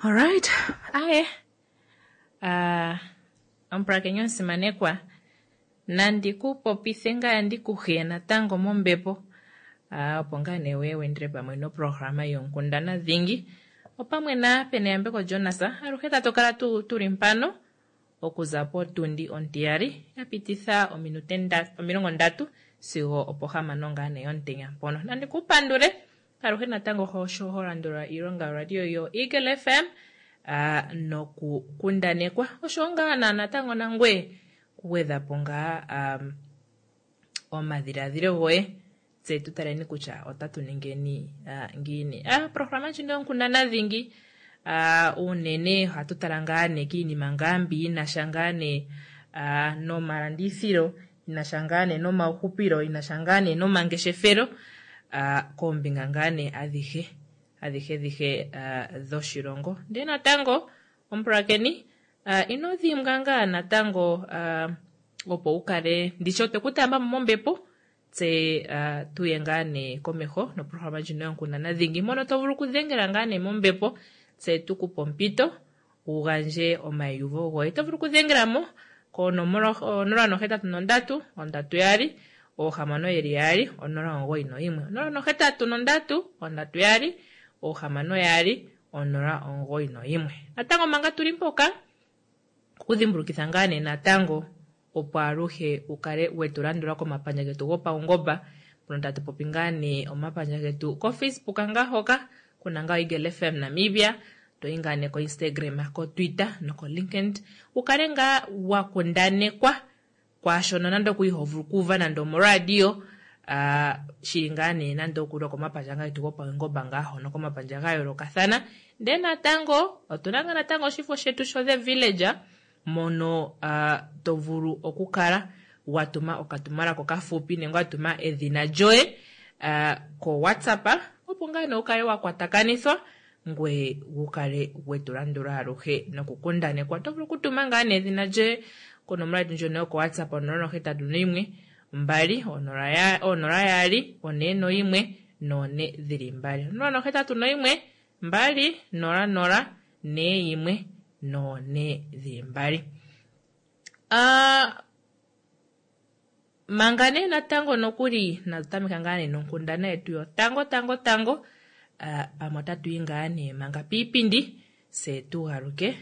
Alright, aye. Omupulakeni omusimanekwa, nandi ku popithe ngaa ndi ku hiye natango mombepo, opo ngaa nee wuye wu endele pamwe noprograma yonkundana dhingi opamwe na Peneyambeko Jonas. Aluhe tatu kala tu tuli mpano okuza potundi ontiyali ya pititha ominute 30 sigo opohamano ngaa nee yomutenya mpono. Nandi ku pandule aluhe natango sho ho landula iilonga yoradio yo Eagle FM nokukundanekwa oshowo ngaa na natango nangweye kugwedha po ngaa omadhiladhilo goye tse tu taleni kutya otatu ningeni ngiini. Programa ndjino yonkundana dhingi unene ohatu tala ngaa nee kiinima ngaa mbi yina sha ngaa nee nomalandithilo, yina sha ngaa nee nomauhupilo, yina sha ngaa nee nomangeshefelo koombinga ngaa nee adhihe adhihe dhihe dhoshilongo. Ndele natango omupulakeni ino dhimbwa ngaa natango opo wu kale ndishi otwe ku taamba mo mombepo tse tuye ngaa nee komeho noprograma ndjino yonkundana dhingi mono to vulu okudhengela ngaa nee mombepo tse tu ku pe ompito wu gandje omaiyuvo goye. Oto vulu okudhengela mo konomola 083 32 662 091 083 32 662 091. Natango manga tuli mpoka okudhimbulukitha ngaa nee natango opo aluhe wu kale wetu landula komapandja getu gopaungomba mpono tatu popi ngaa nee omapandja getu koFacebook ngaa hoka kuna ngaa Eagle FM Namibia, toyi ngaa nee koInstagram, koTwitter nokoLinkedIn wu kale ngaa wa kundanekwa kwaashono nande oku iho vulu okuuva nande omoradio shili ngaa nee nande okuli okomapandja ngaa getu gopaungomba ngaa hono komapandja ga yoolokathana. Ndele natango otuna ngaa natango oshifo shetu sho The Villager mono to vulu okukala wa tuma okatumwalaka okafupi nenge wa tuma edhina lyoye ko WhatsApp opo ngaa nee wu kale wa kwatakanithwa ngoye wu kale wetu landula aluhe nokukundanekwa. Oto vulu okutuma ngaa nee edhina lyoye konomola yetu ndjono yoko WhatsApp 081 2 0 2 4 1 4 2 081 2 0 0 4 1 4 2. Manga nee natango nokuli natu tameka ngaa nee nonkundana yetu yotango tango tango, pamwe otatu yi ngaa nee manga piipindi se tu galuke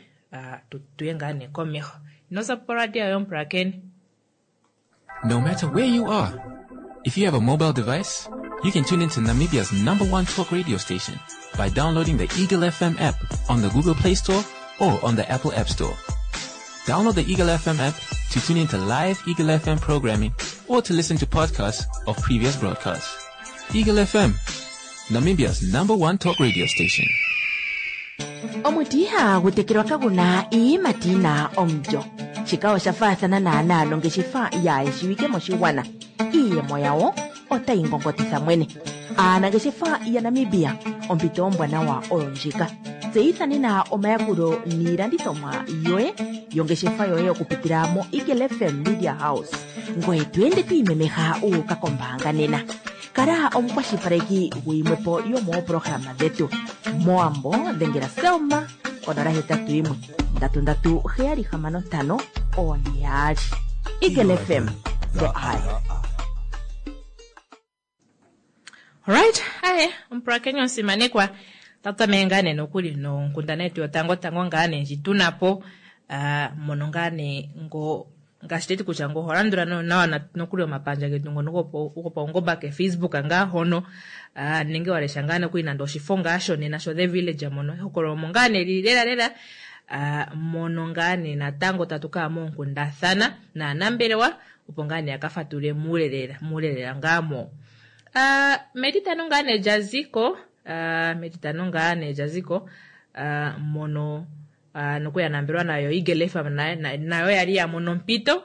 tuye ngaa nee komeho. Ino za po poradio yomupulakeni. No matter where you are, if you have a mobile device, you can tune into Namibia's number one talk radio station by downloading the Eagle FM app on the Google Play Store or on the Apple App Store. Download the Eagle FM app to tune into live Eagle FM programming or to listen to podcasts of previous broadcasts. Eagle FM, Namibia's number one talk radio station. Omuti ihagu tekelwa kagu na iiyimati yi na omulyo. Shika osha faathana naanaa nongeshefa yaa shiwike moshigwana. Iiyemo yawo otayi ngongotitha mwene. Aanangeshefa yaNamibia, ompito ombwanawa oyo ndjika. Tseyitha nena omayakulo niilandithomwa yoye yongeshefa yoye okupitila moEagle FM Media House. Ngoye to ende to imemeha wu uka kombaanga nena. Kala omukwashilipaleki guyimwe po yomooprograma dhetu. Mowambo dhengela Selma konola hetatu yimwe ndatu ndatu heyali hamano ntano oone yaali. Eagle FM, the eye. Alright, aye, omupulakeni omusimanekwa, otatu tameke ngaa nee nokuli nonkundana yetu yotango tango ngaa nee ndji tuna po mono ngaa nee ngo ngaashi teti kutya ngo oho landula nawa nokuli omapandja getu ngono gopaungomba keFacebook ngaa hono nenge wa lesha ngaa nokuli nande oshifo ngaa shonena sho The Village mono ehokololo omo ngaa nee lili lela lela mono ngaa nee natango tatu kaya moonkundathana naanambelewa opo ngaa nee ya ka fatulule muule lela muule lela ngaa mo. Metitano ngaa nee lya ziko metitano ngaa nee lya ziko mono nokuya nambelwa nayo Eagle FM nayo yali ya mono ompito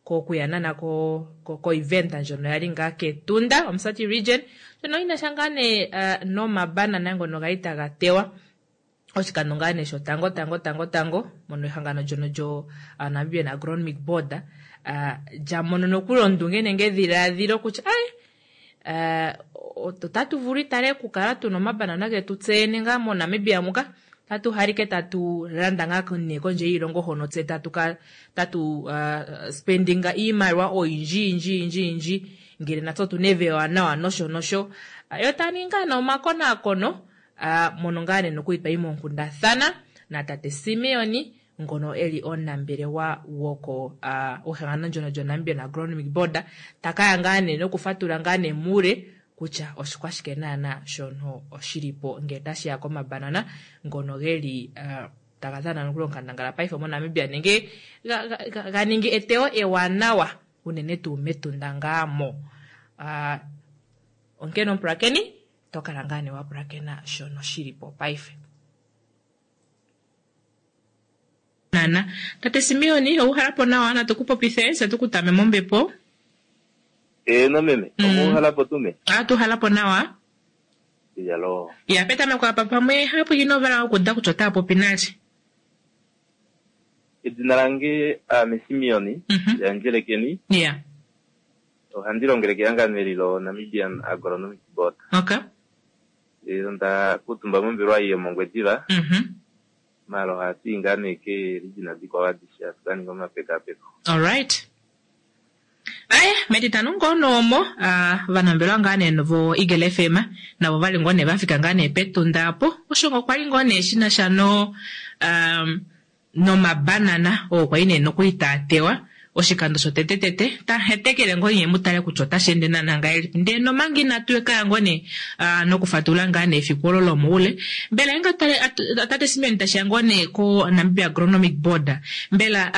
kokuya nana ko ko event ndjono yali ngaa kEtunda Omusati region ndjono yina sha ngaa nee nomabanana ngono gali taga tewa oshikando ngaa nee shotango tango tango tango mono ehangano ndyono lyo Namibian Agronomic Board lya mono nokuli ondunge nenge edhiladhilo kutya ai otatu vulu itale okukala tuna omabanana getu tse yene ngaa moNamibia muka. Tatu halike tatu landa ngaa nee kondje yiilongo hono tse tatu ka tatu spendinga iimaliwa oyindji yindji yindji yindji ngele natse otu na evi ewanawa nosho nosho. Yo taya ningi ngaa nee omakonaakono mono ngaa nee nokuli twayi moonkundathana natate Simeon ngono eli omunambelewa woko wehangano ndyono lyoNamibian Agronomic Board takaya ngaa nee nokufatula ngaa nee muule kutya oshikwashike naana shono shilipo ngele tashiya komabanana ngono geli taga dhana nokuli onkandangala paife moNamibia nenge ga ningi eteyo ewanawa unene tuu mEtunda ngaa mo. Onkene omupulakeni to kala ngaa nee wa pulakena shono shilipo paife. Nana. Tate Simeon, owu hala po nawa natu ku popithe se tu ku tame mombepo. Eeno meme, omuuhala po tuu me? Atu hala po nawa. Iyaloo. Ya petameko apa pamwe hapu ino vala okuda kutya otaya popi nalye. Edina lange aame Simeon yaNdjelekeni. Ya. Ohandi longele kehangano eli loNamibian Agronomic Board. Okay. Onda kuutumba mombelewa ei yomOngwediva. Maala ohatu i ngaa nee keeregina dikwao adishe hatu ka ninga omapekapeko. Alright. Aye, metitano ngoo noomo ovanambelewa ngaa nee vo Eagle FM navo vali ngoo nee vafika ngaa nee pEtunda apo osho ngoo kwali ngoo nee shinasha no nomabanana oo kwali nee nokuli taa tewa oshikando shotete tete tahetekele ngoo nye mutale kutya otashi ende naana ngahelipi ndee nomanga inatu kaya ngoo nee nokufatula ngaa nee efiku olo lomoule mbela inga tale tate Simeon tashiya ngoo nee ko Namibia Agronomic Board mbela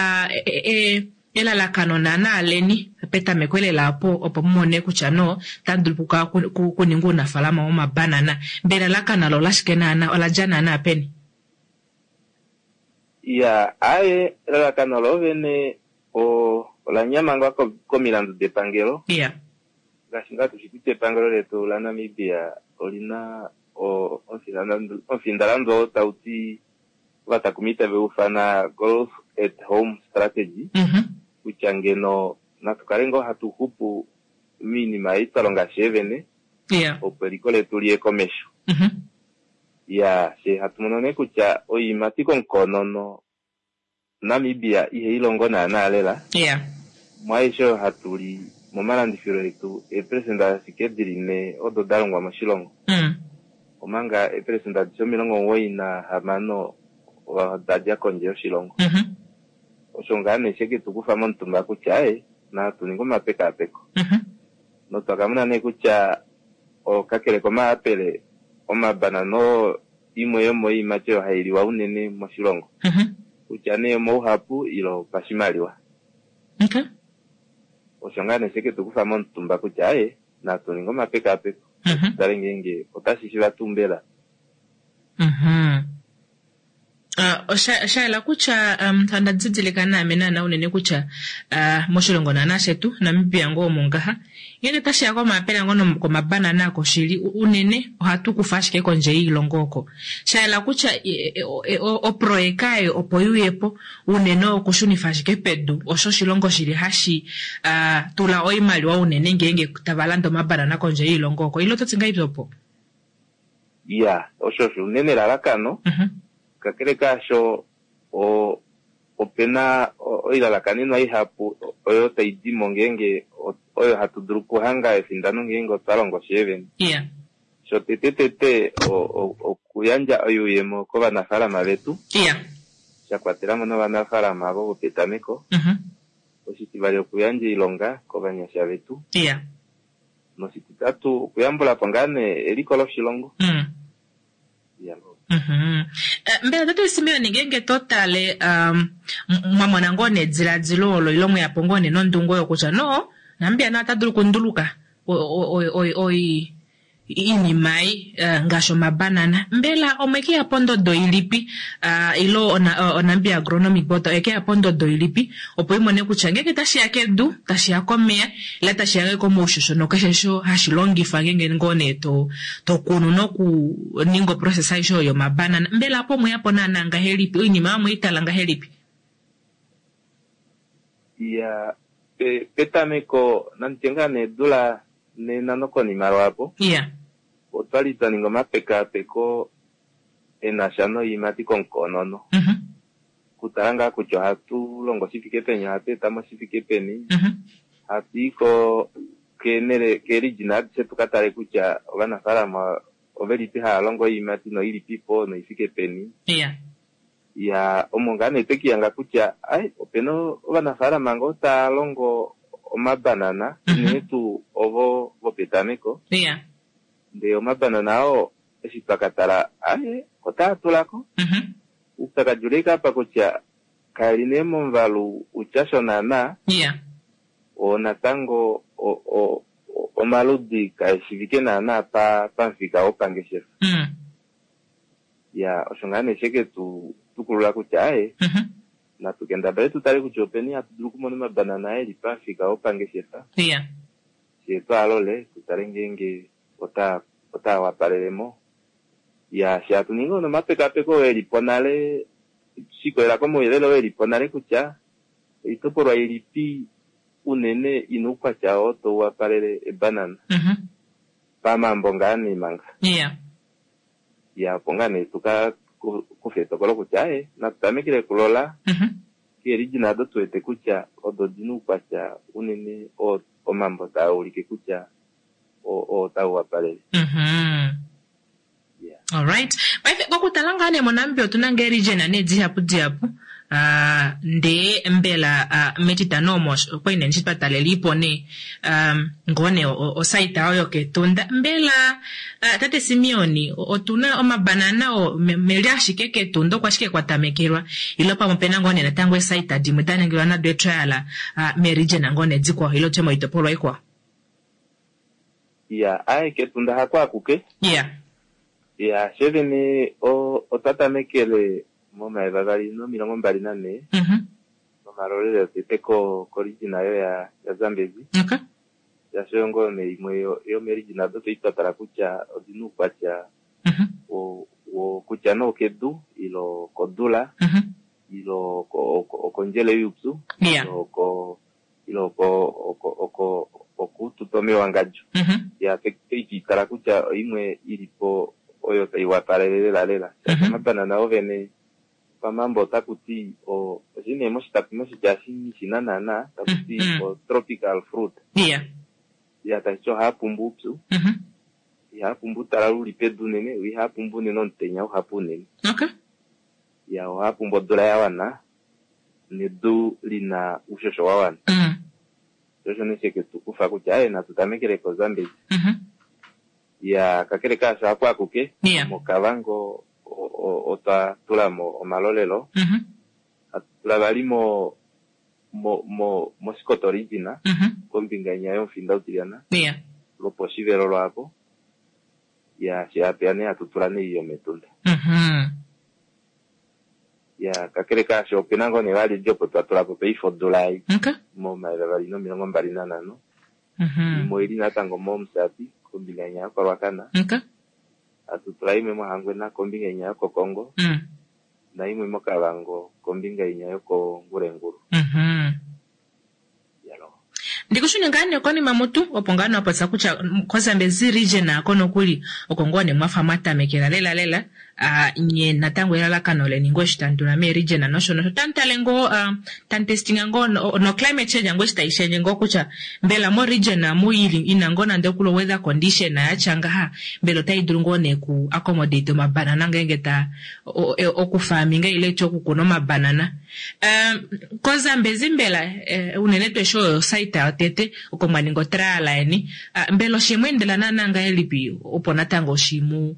elalakano naana leni petameko elela apo opo mumone kutya no tamu dulu kuninga uunafaalama womabanana mbela elalakano olo olashike naana ola dja naana peni? Ya, aye elalakano lovene ola nyamangwa komilandu depangelo. Yeah. Ngaashi ngaa tushi kutya epangelo letu laNamibia olina omufindalandu oo tau ti ovatakumi tave ufana Growth at Home Strategy. Kutya ngeno natu kale ngoo hatu xupu miinima ei twa longa sheevene. Yeah. Opo eliko letu liye komesho. Ya, she hatu mono nee kutya oiimati komukonono Namibia ihai longo naana lela. Yeah. Mwaaishe oyo hatu li momalandifilo etu eeperesenda ashike dili 4 odo da longwa moshilongo. Omanga eeperesenda adishe 96 oda dja kondje yoshilongo. Osho ngaa nee she ke tu kufa momutumba kutya aye natu ninge omapekapeko. Notwa ka mona nee kutya kakele komayapele omabanana oo imwe yomoiimati oyo hai liwa unene moshilongo. Kutya nee omouhapu ile opashimaliwa. Okay. Osho ngaa nee she ke tu kufa momutumba kutya aye natu ninge omapekapeko. Tale ngeenge otashi shiva tuu mbela. Osha yela kutya onda didilika naame naana unene kutya moshilongo naana shetu Namibia ngoo omo ngaha ngenge tashiya komayapela ngoo komabanana ako shili unene ohatu kufa ashike kondje yiilongo oko. Sha yela kutya oproyeka eyo opo yuyepo unene okushunifa ashike pedu osho oshilongo shili hashi tula oimaliwa unene ngeenge tava landa omabanana kondje yiilongo oko. Ile oto ti ngahelipi opo? Ya, osho osho unene elalakano. Kakele kaasho opena oilalakanenwa ihapu oyo tai dimo ngeenge oyo hatu dulu okuhanga efindano ngeenge otwa longo sheevene. Yeah. Shotete tete okuyandja oyuuyemo kovanafaalama vetu. Yeah. Sha kwatela mo novanafaalama avo vopetameko. Oshitivali okuyandja oilonga kovanyasha vetu. Yeah. Noshititatu okuyambula po ngaa nee eliko loshilongo. Mbela tate Simeon ngeenge to tale mwamona ngoo nediladilo olo ile mweyapo ngoo nee nondungu oyo kutya no Namibia naye ota dulu okunduluka iinima ei ngaashi omabanana. Mbela omwekeya pondodo ilipi ile oNamibia Agronomic Board oyekeya pondodo ilipi opo imone kutya ngeenge tashiya kedu, tashiya komeya ile tashiya komaushosho nokeshe osho hashi longifwa ngeenge ngoo nee to kunu nokuninga oprocess aishe oyo yomabanana. Mbela apo omweyapo naana ngahelipi? Oinima oyo omweitala ngahelipi? Ya, petameko nanditye ngaa nee eedula nena nokonima lwaapo. Yeah. Otwali twa ninga omapekapeko. e na sha noiimati komukonono. Kutala ngaa kutya ohatu longo shi fike peni, ohatu eta mo shi fike peni, hatu i ko keenhele keerijina adishe tu ka tale kutya ovanafaalama ovelipi hava longo oiimati noilipipo noifike peni. Ya, omo ngaa nee twekihanga kutya ai opena ovanafaalama ngoo tava longo omabanana, unene tuu ovo vopetameko. Ndee omabanana oo eshi twa ka tala ai otaa tulako. Oupyakadi uli ashike apa kutya kaeli nee momuvalu utya sho naana. Oo natango omaludi kaeshivike naana pamufika wopangeshefa. Ya, osho ngaa nee sheke tu tukulula kutya aye, natu kendabale tu tale kutya openi hatu dulu okumona omabanana eli pamufika wopangeshefa. Fyee twaalole tu tale ngeenge otaa wapalele mo. Ya, she hatu ningi nomapekapeko oo eli po nale, shikolela komauyelele oo eli po nale kutya oitopolwa ilipi unene ina oukwatya oo tau wapalele ebanana. Pamambo ngaa nee manga. Ya, opo ngaa nee tu ka kufe etokolo kutya aye, natu tamekele kulola keerijina odo tu wete kutya odo di na oukwatya unene oo omambo taa ulike kutya oo tau wapalele. Alright. Paife kokutala ngaa nee moNamibia otuna ngee region nee dihapu dihapu. Ndee mbela metitano omo okwali nee ndishi twa talelipo nee ngoo nee osaita oyo kEtunda. Mbela tate Simeon otuna omabanana oo meli ashike kEtunda oko ashike kwa tamekelwa ile pamwe opena ngoo nee natango eesaita dimwe da ningilwa nado etrial meeregion ngoo nee dikwao ile tutye moitopolwa ikwao? Ya, aye kEtunda hako akuke. Ya, she vene otwa tamekele momayovi avali nomilongo mbali nanhee nomalolelo otete korijina oyo yaZambezi. Shaashi oyo ngoo nee imwe yomeerijina odo twali twa tala kutya odina oukwatya kutya nee okedu ile okodula ile okondjele youpyu ile ile okututa omewangadjo. Ya, twei tala kutya oimwe ili po oyo tai wapalele lela lela. Shaashi omabanana ovene pamambo otaku ti oshi nee moshitapi moshitya shi na naana taku ti o tropical fruit. Ya, tashi ti ohaa pumbu oupyu, ihaa pumbu outalala uli pedu unene, ihaa pumbu unene omutenya uhapu unene. Ya, ohaa pumbu odula ya wana nedu lina oushosho wa wana. Sho osho nee sheke tu kufa kutya aye natu tamekele koZambezi. Ya, kakele kaasho haku akuke, moKavango otwa tula mo omalolelo. Hatu tula vali mo mOshikoto region, kombinga inya yomufinda utilyana, lwoposhivelo lwaapo. Ya, she hatu ya nee hatu tula nee yometunda. Ya, kakele kaasho opena ngoo nee vali li opo twa tula po paife odula ei. Momayovi avali nomilongo mbali nanhano. Imwe oili natango mOmusati, kombinga inya yokoRuacana. Hatu tula imwe mOhangwena, kombinga inya yokOkongo. Naimwe mOkavango, kombinga inya yokoNgurenguru. Ndikushune ngaa nee konima mutu opo ngaa nee wapopya kutya koZambezi region ako nokuli oko ngoo nee mwafa mwa tamekela lela lela nye natango elalakano leni ngoo eshi tamu tula mee region nosho nosho tamu tale ngoo tamu testinga ngoo no climate change ngoo eshi tai shendje ngoo kutya mbela mo region amu ili ina ngoo nande okuli weather condition yatya ngaha mbela otai dulu ngoo nee ku accommodate omabanana ngeenge ta okufarminga ile ti okukuna omabanana. KoZambezi mbela unene tuu eshi oyo osite yotete oko mwa ninga otrial yeni, mbela oshe mu endela naana ngahelipi opo natango shi mu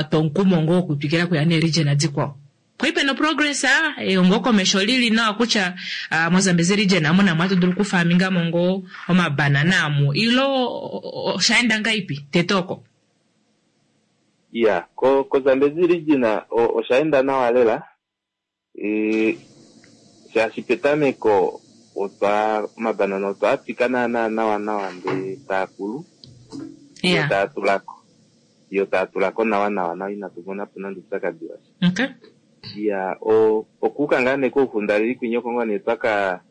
twa omukumo ngoo wokutwikila kuya neeregion dikwao? Pwali pena oprogress eyo komesho li li nawa kutya moZambezi region amu namo ohatu dulu okufarminga mo ngoo omabanana amu ile osha enda ngahelipi tete oko? Ya, koZambezi region osha enda nawa lela. Shaashi petameko otwa omabanana otwa twika naana nawa nawa ndee taa kulu yo taa tulako yo taa tulako nawa nawa nawa inatu mona po nande oupyakadi washa. Ya, okuuka ngaa nee kouxundaleli kwinya oko ngoo nee twaka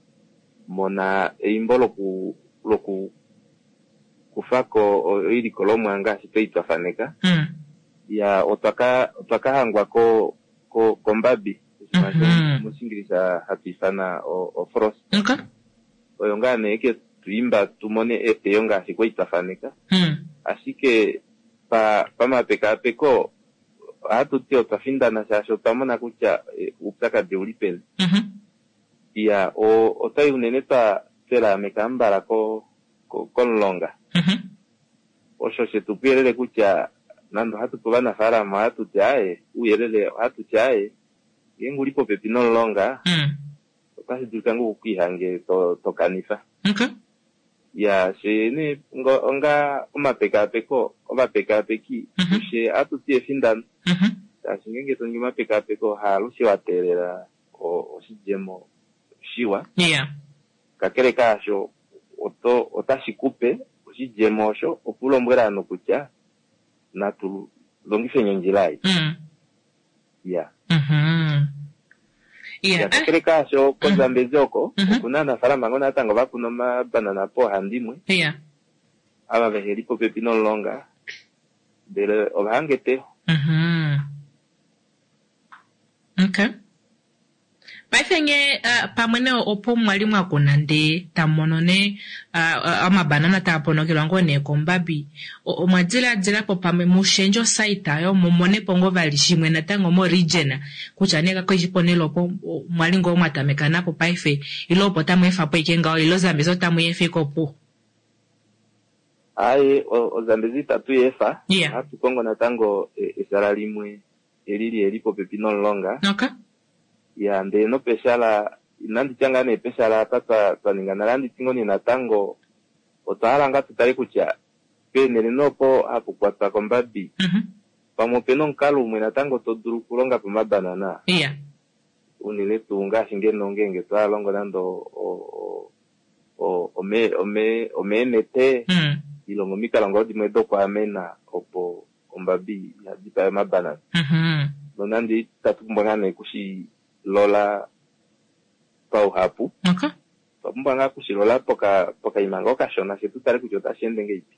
mona eimbo loku loku kufako oilikolomwa ngaashi twali twa faneka. Ya, otwa ka otwa ka hangwa ko ko kombabi oshinima mm -hmm. mOshiingilisa hatu ifana ofrost. Okay. Oyo ngaa nee ke tu imba tu mone eteyo ngaashi kwali twa faneka. Ashike pa pamapekaapeko ohatu ti otwa findana shaashi otwa mona kutya oupyakadi ouli peni. Iya, otwali unene twa twelaameka ambala ko komulonga. Osho she tu puyelele kutya nande ohatu pe ovanafaalama ohatu ti aaye, ouyelele ohatu ti aaye, ngeenge uli popepi nomulonga otashi dulika ngoo ukwiihange to to kanifa. Okay. Ya, fye nee onga omapekaapeko, ovapekaapeki, kufye ohatu ti efindano. Shaashi ngeenge to ningi omapekaapeko haalushe wa teelela oshidjemo shiwa. Yeah. Kakele kaasho, oto, otashi ku pe oshidjemo osho opo u lombwele ovanhu kutya natu longifeni ondjila ei. Ya. Ya, kakele kaasho, koZambezi oko, oku na ovanafaalama ngoo natango va kuna omabanana poohandimwe, ava vehe li popepi nomulonga, ndele ova hanga eteyo. Okay. Paife nge uh, pamwe ne opo mwa li mwa kuna ndee tamu mono ne uh, omabanana taa ponokelwa ngoo nee kombabi, omwa diladila po pamwe mu shendje osite oyo mu mone po ngoo vali shimwe natango mo region kutya nee kakaishi ponhele opo mwa li ngoo mwa tameka napo paife ile opo tamu efa po ike ngaho ile oZambezi otamu i efa ike opuwo? Aaye, oZambezi itatu i efa, Yeah. ohatu kongo natango eshala limwe eli li li popepi nomulonga. Okay. Ya, ndele nopeshala, inandi tya ngaa nee peshala apa twa, twa ninga nale, ohandi ti ngoo nee natango otwa hala ngaa tu tale kutya peenhele nee opo hapu kwatwa kombabi, pamwe opena omukalo umwe natango to dulu okulonga po omabanana. Yeah. Unene tuu ngaashi ngeno ngeenge twa longo nande o, o, o, ome, ome, omeenete, ile omomikalo ngoo dimwe dokwaamena opo ombabi iha dipae omabanana. Nonande itatu pumbwa ngaa nee okushi lola pauhapu, otwa pumbwa ngaa okushi lola poka, pokaima ngoo kashona fye tu tale kutya otashi ende ngahelipi.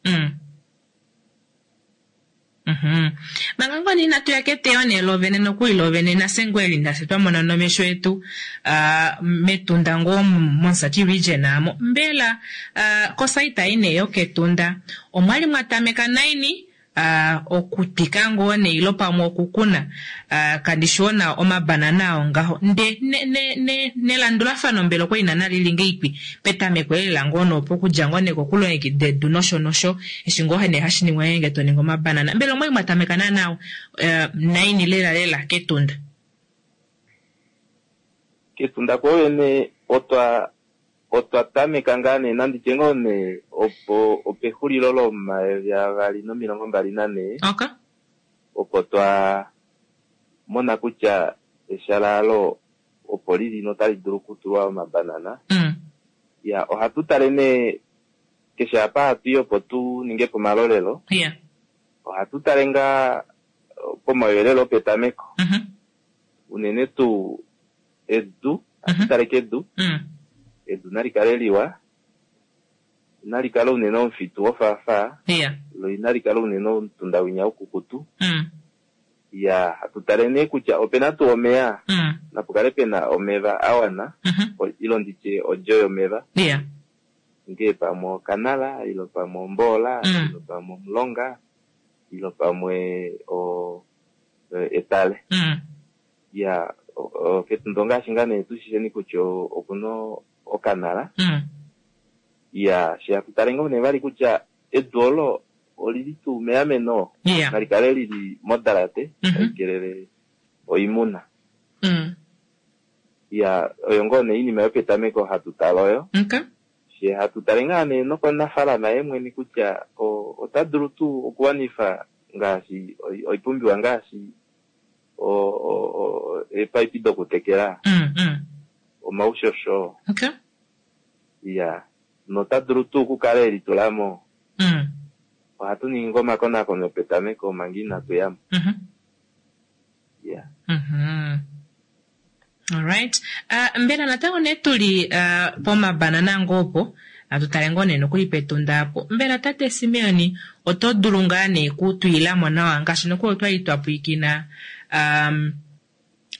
Manga ngoo nee inatu ya keteyo nee lovene nokuli lovene nafye ngoo eli nafye twa mona nomesho etu mEtunda ngoo mOmusati region aamo, mbela kosaita ei nee yokEtunda omwali mwa tameka naini okutwika ngoo nee ilo pamwe okukuna kandi shiwo nawa omabanana ao ngaho nde nelandulafano mbela okwali naana lili ngeipi petameko elela ngoo nee opo okudja ngoo nee kokulongekida edu nosho nosho eshi ngoo nee hashi ningwa ngeenge to ningi omabanana mbela omwali mwa tameka naana naini lela lela kEtunda? Ketunda kwoovene otwa Otwa tameka ngaa nee nandi tye ngoo nee opo opexulilo lo2024 Okay. opo twa mona kutya eshala alo opo lili notali dulu okutulwa omabanana. Ya, ohatu tale nee keshe apa hatu i opo tu ninge po omalolelo. Yeah. Ohatu tale ngaa pomauyelele opetameko. Unene tuu Edu, ohatu tale kedu. Edu nali kale liwa, inali kala unene omufitu wofaafaa, lo inali kala unene omutunda winya ukukutu. Ya, hatu tale nee kutya ope na tuu omeya, napu kale pe na omeva a wana, ilo ndi tye odjo yomeva, ngee pamwe okanala, ilo pamwe omboola, ilo pamwe omulonga, ilo pamwe etale. Ya, kEtunda ongaashi ngaa nee tu shisheni kutya okuna okanala. Ya, she hatu tale ngoo nee vali kutya edu olo olili tuu meameno, nali kale lili modalate tai kelele oimuna. Ya, oyo ngoo nee oinima yopetameko hatu tale oyo. She hatu tale ngaa nee nokomunafalama ye mwene kutya ota dulu tuu okuwanifa ngaashi oipumbiwa ngaashi eepaipi dokutekela, omaushosho, iya, nota dulu tuu okukala e litula mo. Ohatu ningi ngoo omakonakono petameko manga inatu ya mo. Iya. Alright. Mbela natango nee tu li pomabanana ngoo opo, Natu tale ngoo nee nokuli pEtunda apo. Mbela tate Simeon oto dulu ngaa nee kutwiilamo nawa ngaashi nokuli otwali twa pwiikina um,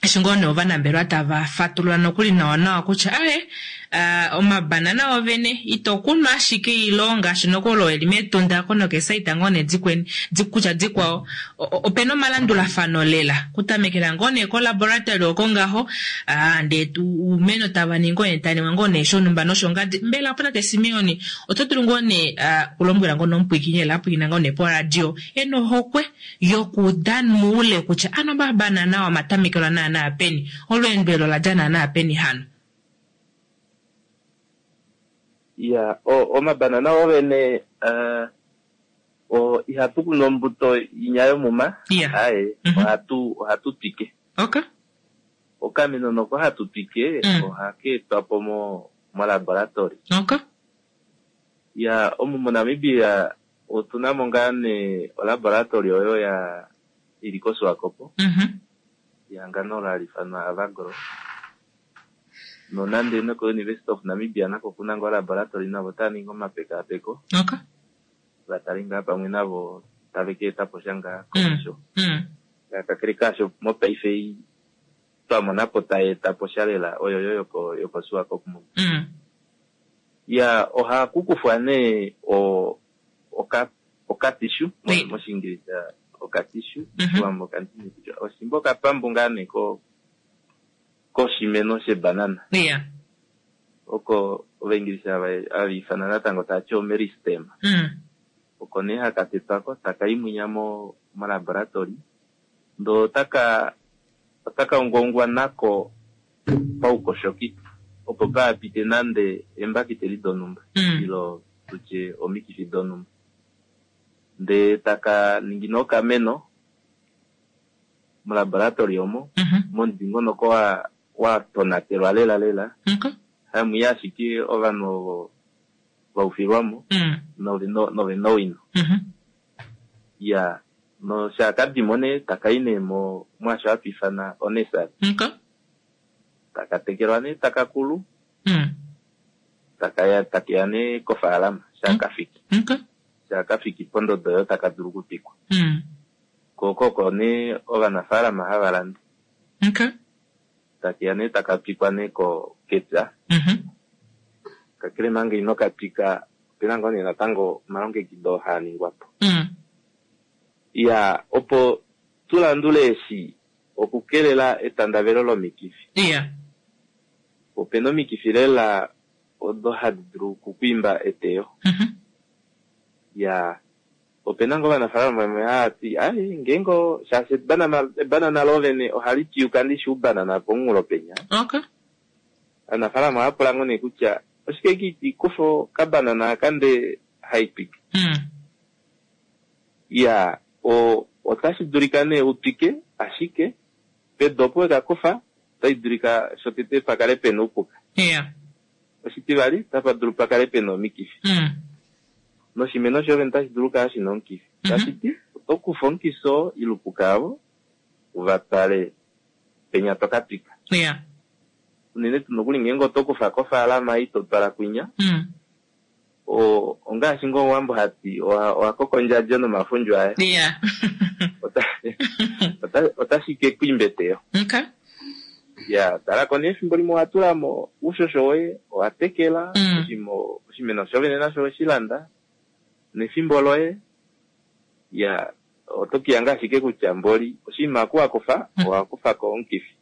eshi ngoo nee ovanambelewa tava fatulula nokuli nawa nawa kutya aye uh, omabanana ovene ito kunu ashike ilo ngaashi nokuli olo eli mEtunda ko nokesaita ngoo nee dikweni kutya dikwao opena omalandulafano lela kutamekela ngoo nee kolaboratory oko ngaho uh, ndee uumeno tava ningi ngoo nee taningwa ngoo nee shonhumba noshongadi. Mbela opo tate Simeon oto dulu ngoo nee kulombwela ngoo nomupwiikini lela apwiikina ngoo nee poradio ena ohokwe yokuuda muule kutya ano omabanana omatamekelwa naana peni, olweendo elo ola dja naana peni hano? Ya, omabanana ovene uh, ihatu kunu ombuto inya yomuma. Aye, ohatu twike. Okay. Okameno noko hatu twike ohaka etwa po molaboratory. Okay. Ya, omu moNamibia otuna mo ngaa nee olaboratory oyo ya ili koSwakopo. Ehangano hali ifanwa Avagro. Nonande noko University of Namibia nako kuna ngoo olaboratory navo otava ningi omapekaapeko. Okay. Vatale ngaa pamwe navo tave ka eta po sha ngaa komesho. Kakele kaasho mopaife twa mona po tai eta po sha lela oyo yo yokoSwakopmund. Ya, ohaku kufwa nee okatishu mOshiingilisa okatishu, mOshiwambo kandini kutya oshimba okapambu ngaa nee koshimeno shebanana. Oko Ovaingilisa hava ifana natango tava ti omeristem. Oko nee haka tetwako taka imwinya molaboratory ndoo otaka ungaungwa nako paukoshoki opo paapite nande eembakiteli donhumba ilo tutye omikifi donhumba. Ndee taka ningi nee okameno molaboratory omo momudingonoko wa tonatelwa lela lela. Hamuya ashike ovanhu ovo vaufilwamo novena owino. Ya, nosha kadimo nee takai nee mwaasho hatu ifana onesari. Taka tekelwa nee taka kulu. Takeya nee kofaalama shakafiki. Shakafiki pondodo oyo taka dulu okutwikwa. Ko nee ovanafaalama hava landa. Takeya nee taka twikwa nee kepya. Kakele manga ino ka twika opena ngoo nee natango omalongekido haa ningwa po. Ya, opo tu landule eshi okukelela etandavelo lomikifi. Opena omikifi lela odo hadi dulu okukwiimba eteyo. Ya, opena ngoo ovanafaalama vamwe hava ti ai ngeenge shaashi ebanana lovene ohali twiyuka ndishi oubanana pomunghulo penya. Ovanafaalama ohava pula ngoo nee kutya oshike kiiti kufa okabanana aka ndee haitwike. Ya, otashi dulika nee utwike ashike pedu opo wekakufa otai dulika shotete pakale pena oupuka. Oshitivali otapa dulu pakale pena omikifi. Noshimeno shovene otashi dulu okukala shina omukifi. Tashiti oto kufa omukifi oo ile oupuka avo uvatwale penya toka twika. Unene tuu nokuli ngeenge oto kufa kofaalama ito twala kwinya. Ongaashi ngoo Omuwambo hati owa koka ondjadjo nomafundju aye. Otashi ke ku imba eteyo. Ya, talako nee efimbo limwe owa tula mo uushosho woye, owa tekela, oshimeno shovene nasho oweshi landa, nefimbo loye, ya, oto kiyanga ashike kutya mboli oshinima aku wakufa, owa kufako omukifi.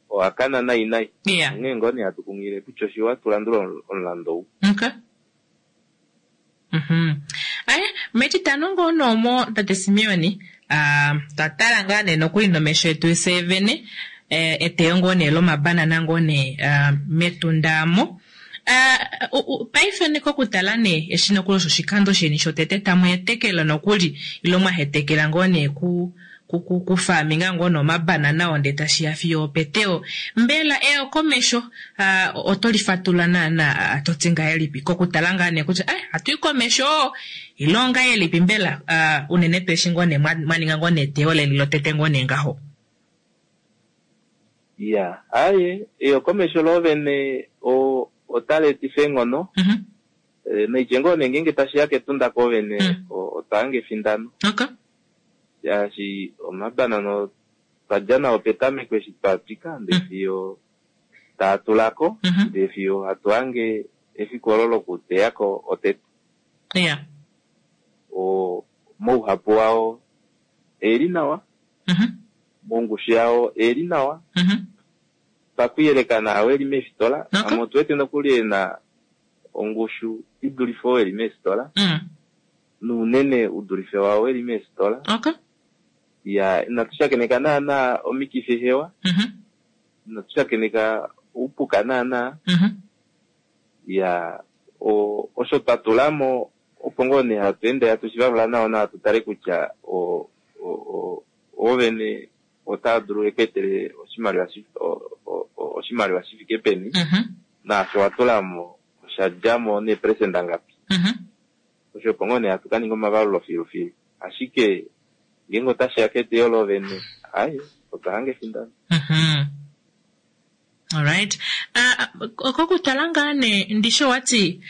Owa kana nai nai. Onghee ngoo nee hatu kunghilile kutya oshiwa tu landule omulando ou. Aye, metitano ngoo noomo tate Simeon, twa tala ngaa nee nokuli nomesho etu fyee vene eteyo ngoo nee lomabanana ngoo nee mEtunda mo. Paife nee kokutala nee eshi nokuli osho oshikando sheni shotete tamu hetekela nokuli ilo mwa hetekela ngoo nee ku kufaminga ngoo nomabanana oo ndee tashiya fiyo opeteyo. Mbela eyokomesho oto lifatulula naana to ti ngahelipi kokutala ngaa nee kutya ohatu i komesho ile ongahelipi mbela unene tuu eshi ngoo nee mwa ninga ngoo nee eteyo leni lotete ngoo nee ngaho? Ya, aye, eyokomesho loovene. Otali etifa eenghono. Noitye ngoo nee ngeenge tashi ya kEtunda koovene, otwa hanga efindano. Shaashi omabanana otwa dja nao petameko eshi twa twika ndee fiyo taa tula ko, ndee fiyo hatu hange efiku olo lokuteya ko otete. Mouhapu wao e li nawa, mongushu yao e li nawa, pakuyeleka naao e li meefitola, amwe otu wete nokuli e na ongushu i dulife oo e li meefitola, nounene u dulife waao e li meefitola. Ya, inatu shakeneka naana omikifi hewa, inatu shakeneka oupuka naana. Ya, osho twa tula mo opo ngoo nee hatu ende hatu shi valula nawa nawa tu tale kutya oovene otaa dulu eku etele oshimaliwa shi fike peni, naasho wa tula mo osha dja mo neeperesenda ngapi. Osho opo ngoo nee hatu ka ninga omavalulo filufilu. Ashike ngeenge otashi ya keteyo loovene, ai, otwa hanga efindano. Alright. Kokutala ngaa nee ndishi owati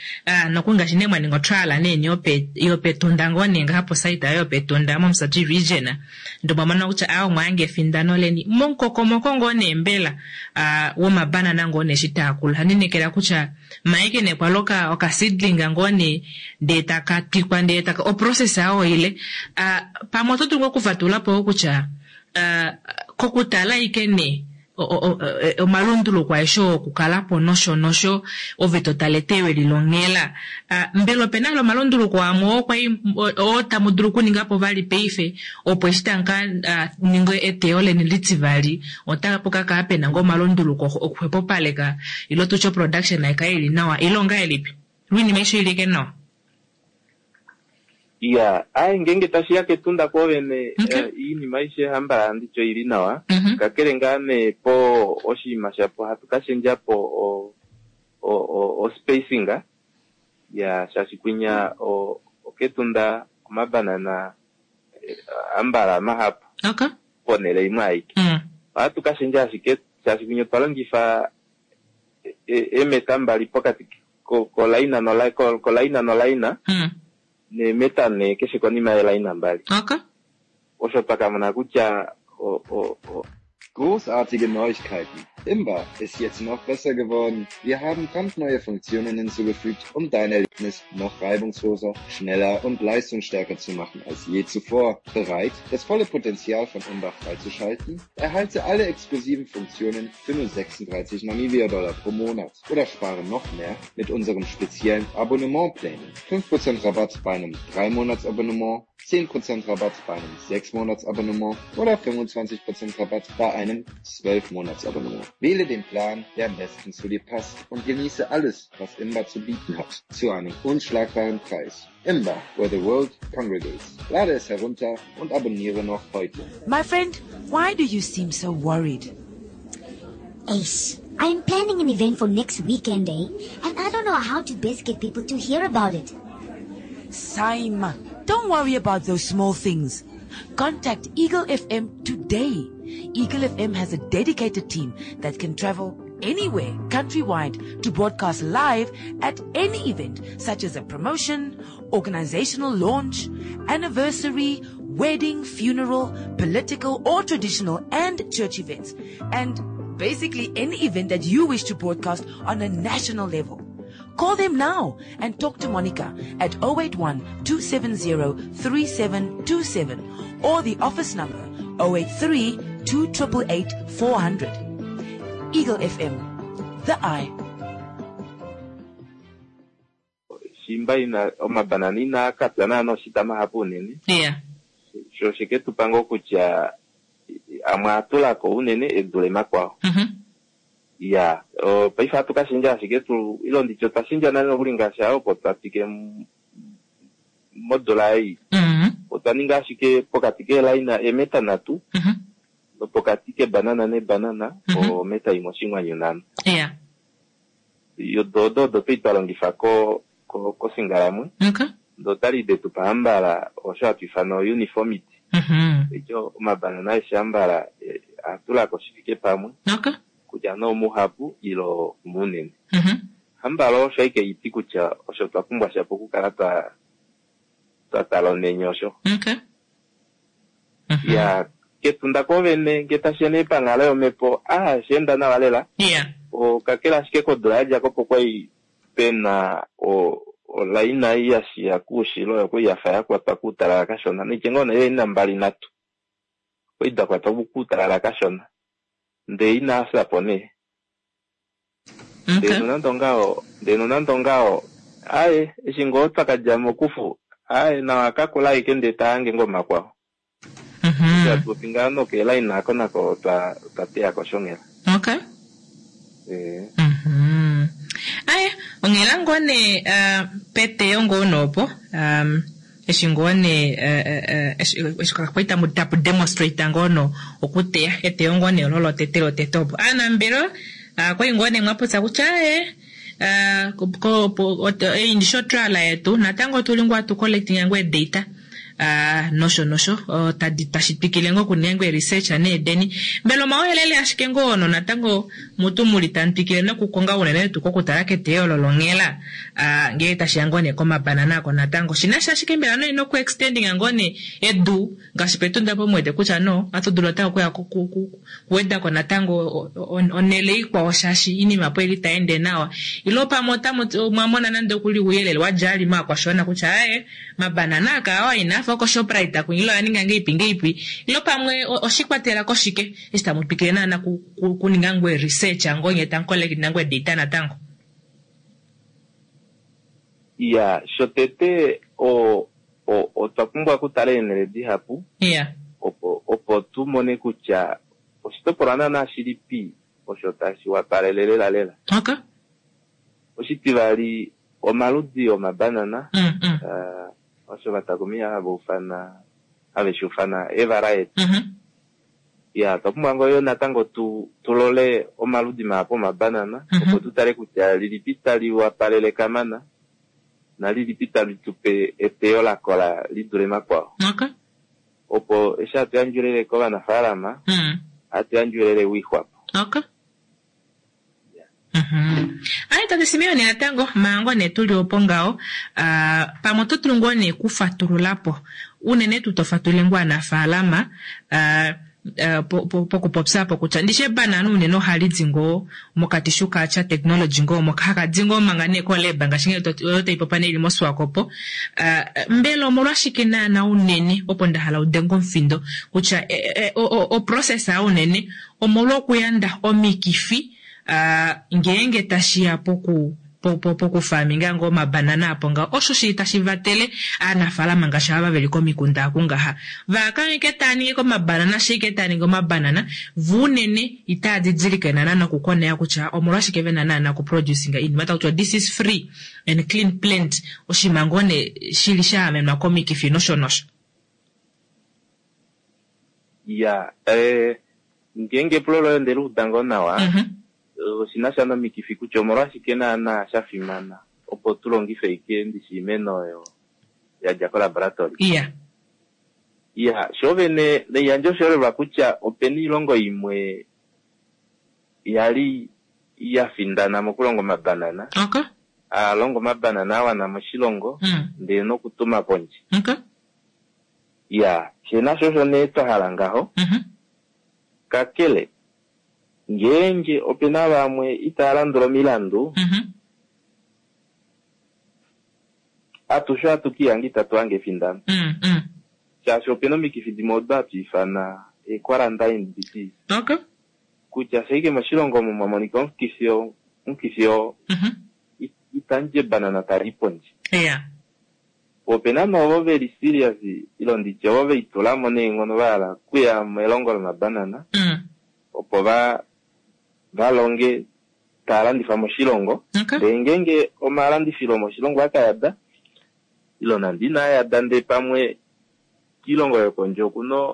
noku ngaashi nee mwa ninga otrial nee yopEtunda ngoo nee ngaha posite ayo yopEtunda mOmusati region, ndee omwa mona kutya aa omwa hanga efindano leni momukokomoko ngoo nee mbela womabanana ngoo nee eshi taa kulu. Ohandi lineekela kutya maeke nee kwali oka seedling ngoo nee ndee taka twikwa ndee taka oprocess ayo ile. Pamwe oto dulu ngoo okufatulula po kutya kokutala ashike nee omalunduluko aeshe oo okukala po nosho nosho ove to tale eteyo eli longhela. Mbela ope na omalunduluko amwe oo kwai oo tamu dulu okuninga po vali paife opo eshi tamu ka ninga eteyo leni litivali otapu ka kala pena ngoo omalunduluko okuxwepopaleka ile tutye oproduction nai kale ili nawa ile ongahelipi? Oinima aishe oili ashike nawa. Iya, aye ngeenge tashi ya kEtunda kwoovene, oinima aishe hambala handi ti oili nawa. Kakele ngaa nee po oshinima shapo hatu ka shendja po o-spacing, ya shaashi kwinya okEtunda omabanana hambala mahapu ponhele imwe aike. Ohatu ka shendja ashike shaashi kwinya otwa longifa eemeta mbali pokati kolaina nolaina neemeta nhee keshe konima yeelaina mbali. Osho twa ka mona kutya Großartige Neuigkeiten! Imba ist jetzt noch besser geworden. Wir haben brandneue Funktionen hinzugefügt, um dein Erlebnis noch reibungsloser, schneller und leistungsstärker zu machen als je zuvor. Bereit, das volle Potenzial von Imba freizuschalten? Erhalte alle exklusiven Funktionen für nur 36 Namibia-Dollar pro Monat oder spare noch mehr mit unserem speziellen Abonnementplänen. 5% Rabatt bei einem 3-Monats-Abonnement, 10% Rabatt bei einem 6-Monats-Abonnement oder 25% Rabatt bei einem 12-Monats-Abonnement. Wähle den Plan, der am besten zu dir passt und genieße alles, was Imba zu bieten hat, zu einem unschlagbaren Preis. Imba, where the world congregates. Lade es herunter und abonniere noch heute. My friend, why do you seem so worried? Ace, I'm planning an event for next weekend, eh? And I don't know how to best get people to hear about it. Saima, don't worry about those small things. Contact Eagle FM today. Eagle FM has a dedicated team that can travel anywhere countrywide to broadcast live at any event, such as a promotion, organizational launch, anniversary, wedding, funeral, political or traditional and church events, and basically any event that you wish to broadcast on a national level. Call them now and talk to Monica at 081-270-3727 or the office number 083-2888-400. Eagle FM, the eye. Shimba ina omabanana inaa ka pya naana oshita mahapu unene. Sho oshe ke tu pa ngoo kutya amwe a tula ko unene e dule makwao. Ya, paife ohatu ka shendja ashike tu ile nditye otwa shendja nale nokuli ngaashi aa opo twa twike modula ei. Otwa ninga ashike pokati keelaina eemeta nhatu nopokati kebanana nebanana ometa imwe oshinghwanyu nhano. Odo odo odo twali twa longifa kosingalamwe. Ndee otali de tu pa hambala osho hatu ifana o-uniformity. Eityo omabanana aeshe hambala a tula ko shi fike pamwe. Kutya nee omuhapu ile omunene. Hambala osho ashike iti kutya osho twa pumbwa shapo okukala twa twa tala omenye osho. Okay. Ya kEtunda koovene ngee tashiya nee panghalo yomhepo aa osha enda nawa lela. Kakele ashike kodula ya dja ko opo kwai pe na olaina ei ya shiya koushilo oyo kwai ya fa ya kwatwa koutalala kashona. Naitye ngoo nee eelaina mbali nhatu okwai da kwatwa koutalala kashona ndee inaa fya po nee. Ndee nonande ongaho, ndee nonande ongaho, aaye, eshi ngoo twa ka dja mokufu, aaye, nawa ka kula aike ndee ta hange ngoo makwao. Eshi hatu popi ngaho nokeelaina ako nako otwa, otwa teya ko shonghela. Okay. Ee. Aye, onghela ngoo nee, uh, peteyo ngoo nee opo, um, eshi ngoo nee eshi kwali tamu tapu demonstrate ngoo no okuteya eteyo ngoo nee olo lotete lotete opo aanambelewa kwali ngoo nee mwapopya kutya aaye ei ndishi otrial yetu natango otuli ngoo atu collecting ngoo eedata nosho nosho tadi tashi twikile ngoo okuninga ngoo research needeni mbela omauyelele ashike ngoo ono natango Mutu muli tamu twikile nokukonga unene tuu kokutala keteyo olo longhela ngee tashiya ngoo nee komabanana ako natango. Shinasha ashike mbela noi noku extendinga ngoo nee edu ngaashi pEtunda opo muwete kutya no ohatu dulu natango okuya kuwedako natango onhele ikwao shaashi iinima opo ili tai ende nawa. Ile pamwe otamu omwa mona nande okuli ouyelele wadja ali maakwashiwana kutya aaye mabanana aka awa inaafa oko Shoprite kwinya ile oya ninga ngeipi ngeipi ile pamwe oshikwatela koshike eshi tamu twikile naana kuninga ngoo research ngoo nyee tamu collect ngoo data natango? Iya, shotete o, o, otwa pumbwa okutala eenhele dihapu Iya. opo, opo tu mone kutya oshitopolwa naana shilipi osho tashi wapalele lela lela. Okay. Oshitivali, omaludi omabanana, Mm, mm. uh, osho vatakumiya hava ufana, have shi ufana eevariety. Mm -hmm. Ya, otwa pumbwa ngoo yo natango tu, tu lole omaludi mahapu omabanana, opo tu tale kutya lilipi tali wapalele kamana, nalilipi tali tu pe eteyo la kola li dule makwao. Okay. Opo eshi hatu yandje ouyelele kovanafaalama, ohatu yandje ouyelele we lixwapo. Okay. Aye tate Simeon natango manga nee tuli opo ngaho pamwe oto dulu ngoo nee kufatulula po unene tuu to fatulile ngoo aanafaalama pokupopya apo kutya ndishi ebanana unene ohali di ngoo mokatishu ka technology ngoo moka haka di ngoo manga nee kolab ngaashi ngee oyo tai popa nee ili moSwakopo. Mbela omolwashike naana unene opo nda hala udenge omufindo kutya oprocess unene omolwokuyanda omikifi ngeenge tashi ya poku pokufaminga ngoo omabanana apo ngaho osho shili tashi vatele aanafaalama ngaashi ava veli komikunda aku ngaha vaakangeke taa ningi komabanana ashike taa ningi omabanana vo unene itaa didilike naana nokukoneya kutya omolwashike vena naana okuproducinga iinima taku tiwa this is free and clean plant oshinima ngoo nee shili sha amenwa komikifi nosho nosho. Ya, eh, ngeenge epulo loye onde li uda ngoo nawa, oshi na sha nomikifi kutya omolwashike naana sha fimana opo tu longife ashike ndishi oimeno oyo ya dja kolaboratory. Iya. Iya, sho vene naiyandje oshiholelwa kutya opena oilongo imwe ya li ya findana mokulonga omabanana, Okay. a longa omabanana a wana moshilongo ndee nokutuma pondje. Okay. Iya, fye nasho osho nee twa hala ngaho. Kakele, ngeenge ope na vamwe itava landula omilandu, atushe ohatu ka ihanga itatu hange efindano. Shaashi ope na omikifi dimwe odo hatu ifana ee-quarantine disease. Okay. Kutya sha ashike moshilongo omo mwa monika omukifi oo, omukifi oo, itamu dji ebanana tali i pondje. Yeah. Po ope na nee ovo ve li serious, ile nditye ovo ve litula mo neenghono va hala okuya melongo lomabanana, opo va va longe taa landifa moshilongo. Okay. Ndee ngeenge omalandifilo omoshilongo a ka yada, ile nande inaa yada ndee pamwe kiilongo yokondje oku na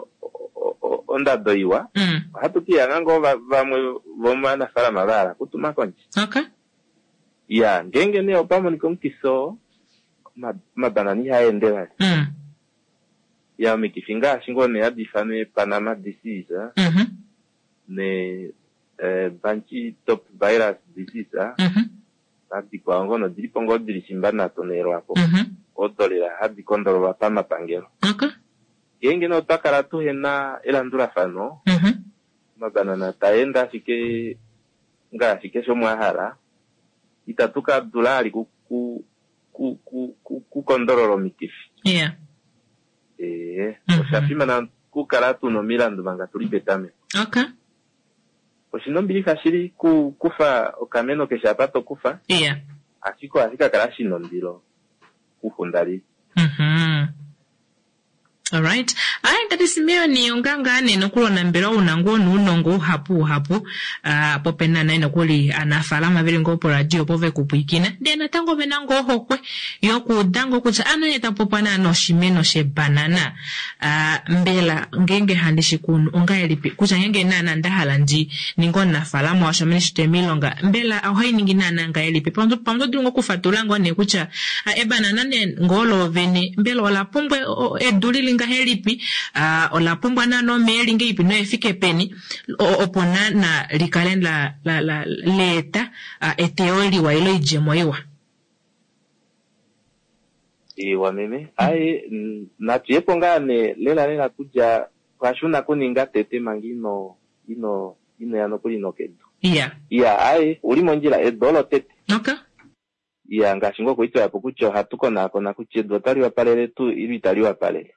ondado iwa, ohatu ka ihanga ngoo vamwe vomovanafaalama va hala okutuma kondje. Okay. Ya, ngeenge nee opa monika omukifi oo, omabanana ihaa ende vali. Ya, omikifi ngaashi ngoo nee hadi ifanwa Panama disease, ne bunchy top virus disease, Nadikwao ngoo nodili po ngoo dili shimba nato neelwapo. Mhm. Odo lela hadi kondololwa pamapangelo. Okay. Ngeenge nee otwa kala tuhena elandulafano, Mhm. omabanana taa ende ashike ngaashi keshe umwe a hala, itatu ka dula ali ku ku ku ku ku kukondolola omikifi. Yeah. Ee, Mhm. osha fimana okukala tuna omilandu manga tuli petameko. Okay. Oshina ombilixa shili ku kufa okameno keshe apa to kufa, Yeah. ashike ohashi ka kala shina ondilo kufundali. Mhm. Alright. Ayi tati Simeon onga ngaa nee nokuli mbela una ngoo nuunongo uhapu uhapu ah, po pena naye nokuli aanafaalama veli ngoo poradio opo vekupwiikina ndee natango vena ngoo ohokwe yokuuda ngoo kutya ano ye tapopa naana oshimeno shebanana ah, mbela ngeenge handi shi kunu ongahelipi kutya ngeenge naana nda hala ndi ninge omunafaalama washo ame ndishitule miilonga mbela ohai ningi naana ngahelipi pamwe pamwe oto dulu ngoo okufatulula ngoo nee kutya ah, ebanana nee ngoo loovene mbela ola pumbwa edu lili ngahelipi ah, ola pumbwa naana omeya eli ngahelipi noefike peni opo naana likale la, la, la, leeta ah, eteyo liwa ile oidjemo iwa. Iwa meme. Aye, natu ye po ngaa nee lela lela kutya pwashuna kuninga tete manga ino ino ino ya nokuli nokedu. Iya. Iya, aye, uli mondjila edu olo tete. Okay. Iya, ngaashi ngoo kwali po kutya ohatu konaakona kutya edu otali wapalele tuu ile itali wapalele.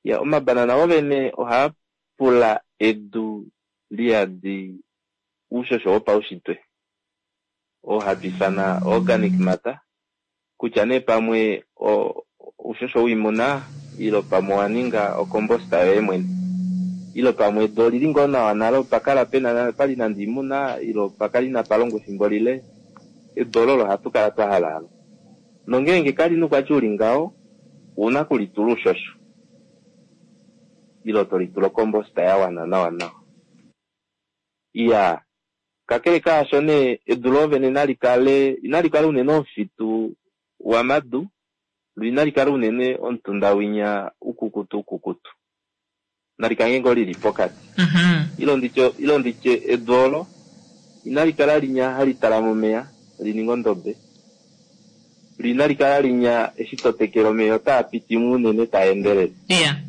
Iya, omabanana ovene ohaa pula edu liyadi uushosho wopaushitwe oo hatu ifana organic matter, kutya nee pamwe uushosho wiimuna ilo pamwe owa ninga okombosta yoye mwene, ilo pamwe edu olili ngoo nawa nale opa kala pena pali nande oimuna ilo pakala inapa longwa efimbo lile, edu olo ohatu kala twa hala alo. Nongeenge kali na oukwatya uli ngaho, ouna kulitula uushosho ilo tolitula okombosta ya wana nawa nawa. Iya, kakele kaasho nee edu loovene nali kale inali kala unene omufitu wamadu, lo inali kala unene omutunda winya ukukutu ukukutu. Nali kale ngoo lili pokati. Mhm. Ilo nditye edu olo inali kala linya hali talama omeya li ninge ondobe. Lo inali kala linya eshi to tekele omeya otaa piti mo unene taa endelele. Iya.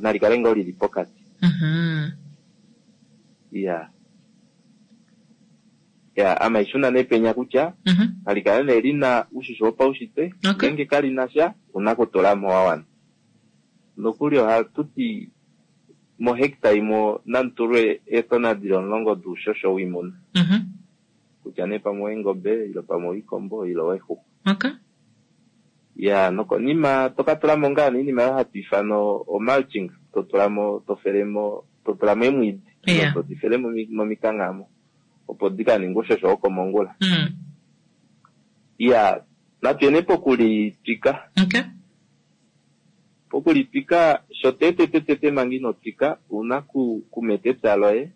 Nali kale ngoo lili pokati. Mhm. Iya. Ya, ama ishuna nee penya kutya Mhm. nali kale nee lina uushosho wopaushitwe, Okay. ngeenge kali na sha, una kutula mo wa wana. Nokuli ohatu ti mohecta imwe namutulwe eetona dili 10 doushosho wiimuna. Mhm. Kutya nee pamwe oweengobe, ilo pamwe owiikombo, ilo oweexuxwa. Okay. Ya, nokonima toka tula mo ngaa nee oyo hatu ifana omulching, to tula mo, to felemo, to tula mo eemwiidi, Yeah. to di fele momikangha mo, opo di ka ninge uushosho wokomongula. Iya, natu yene pokulitwika. Okay. Pokulitwika, shotete tete manga ino twika, ouna kumeta epya loye.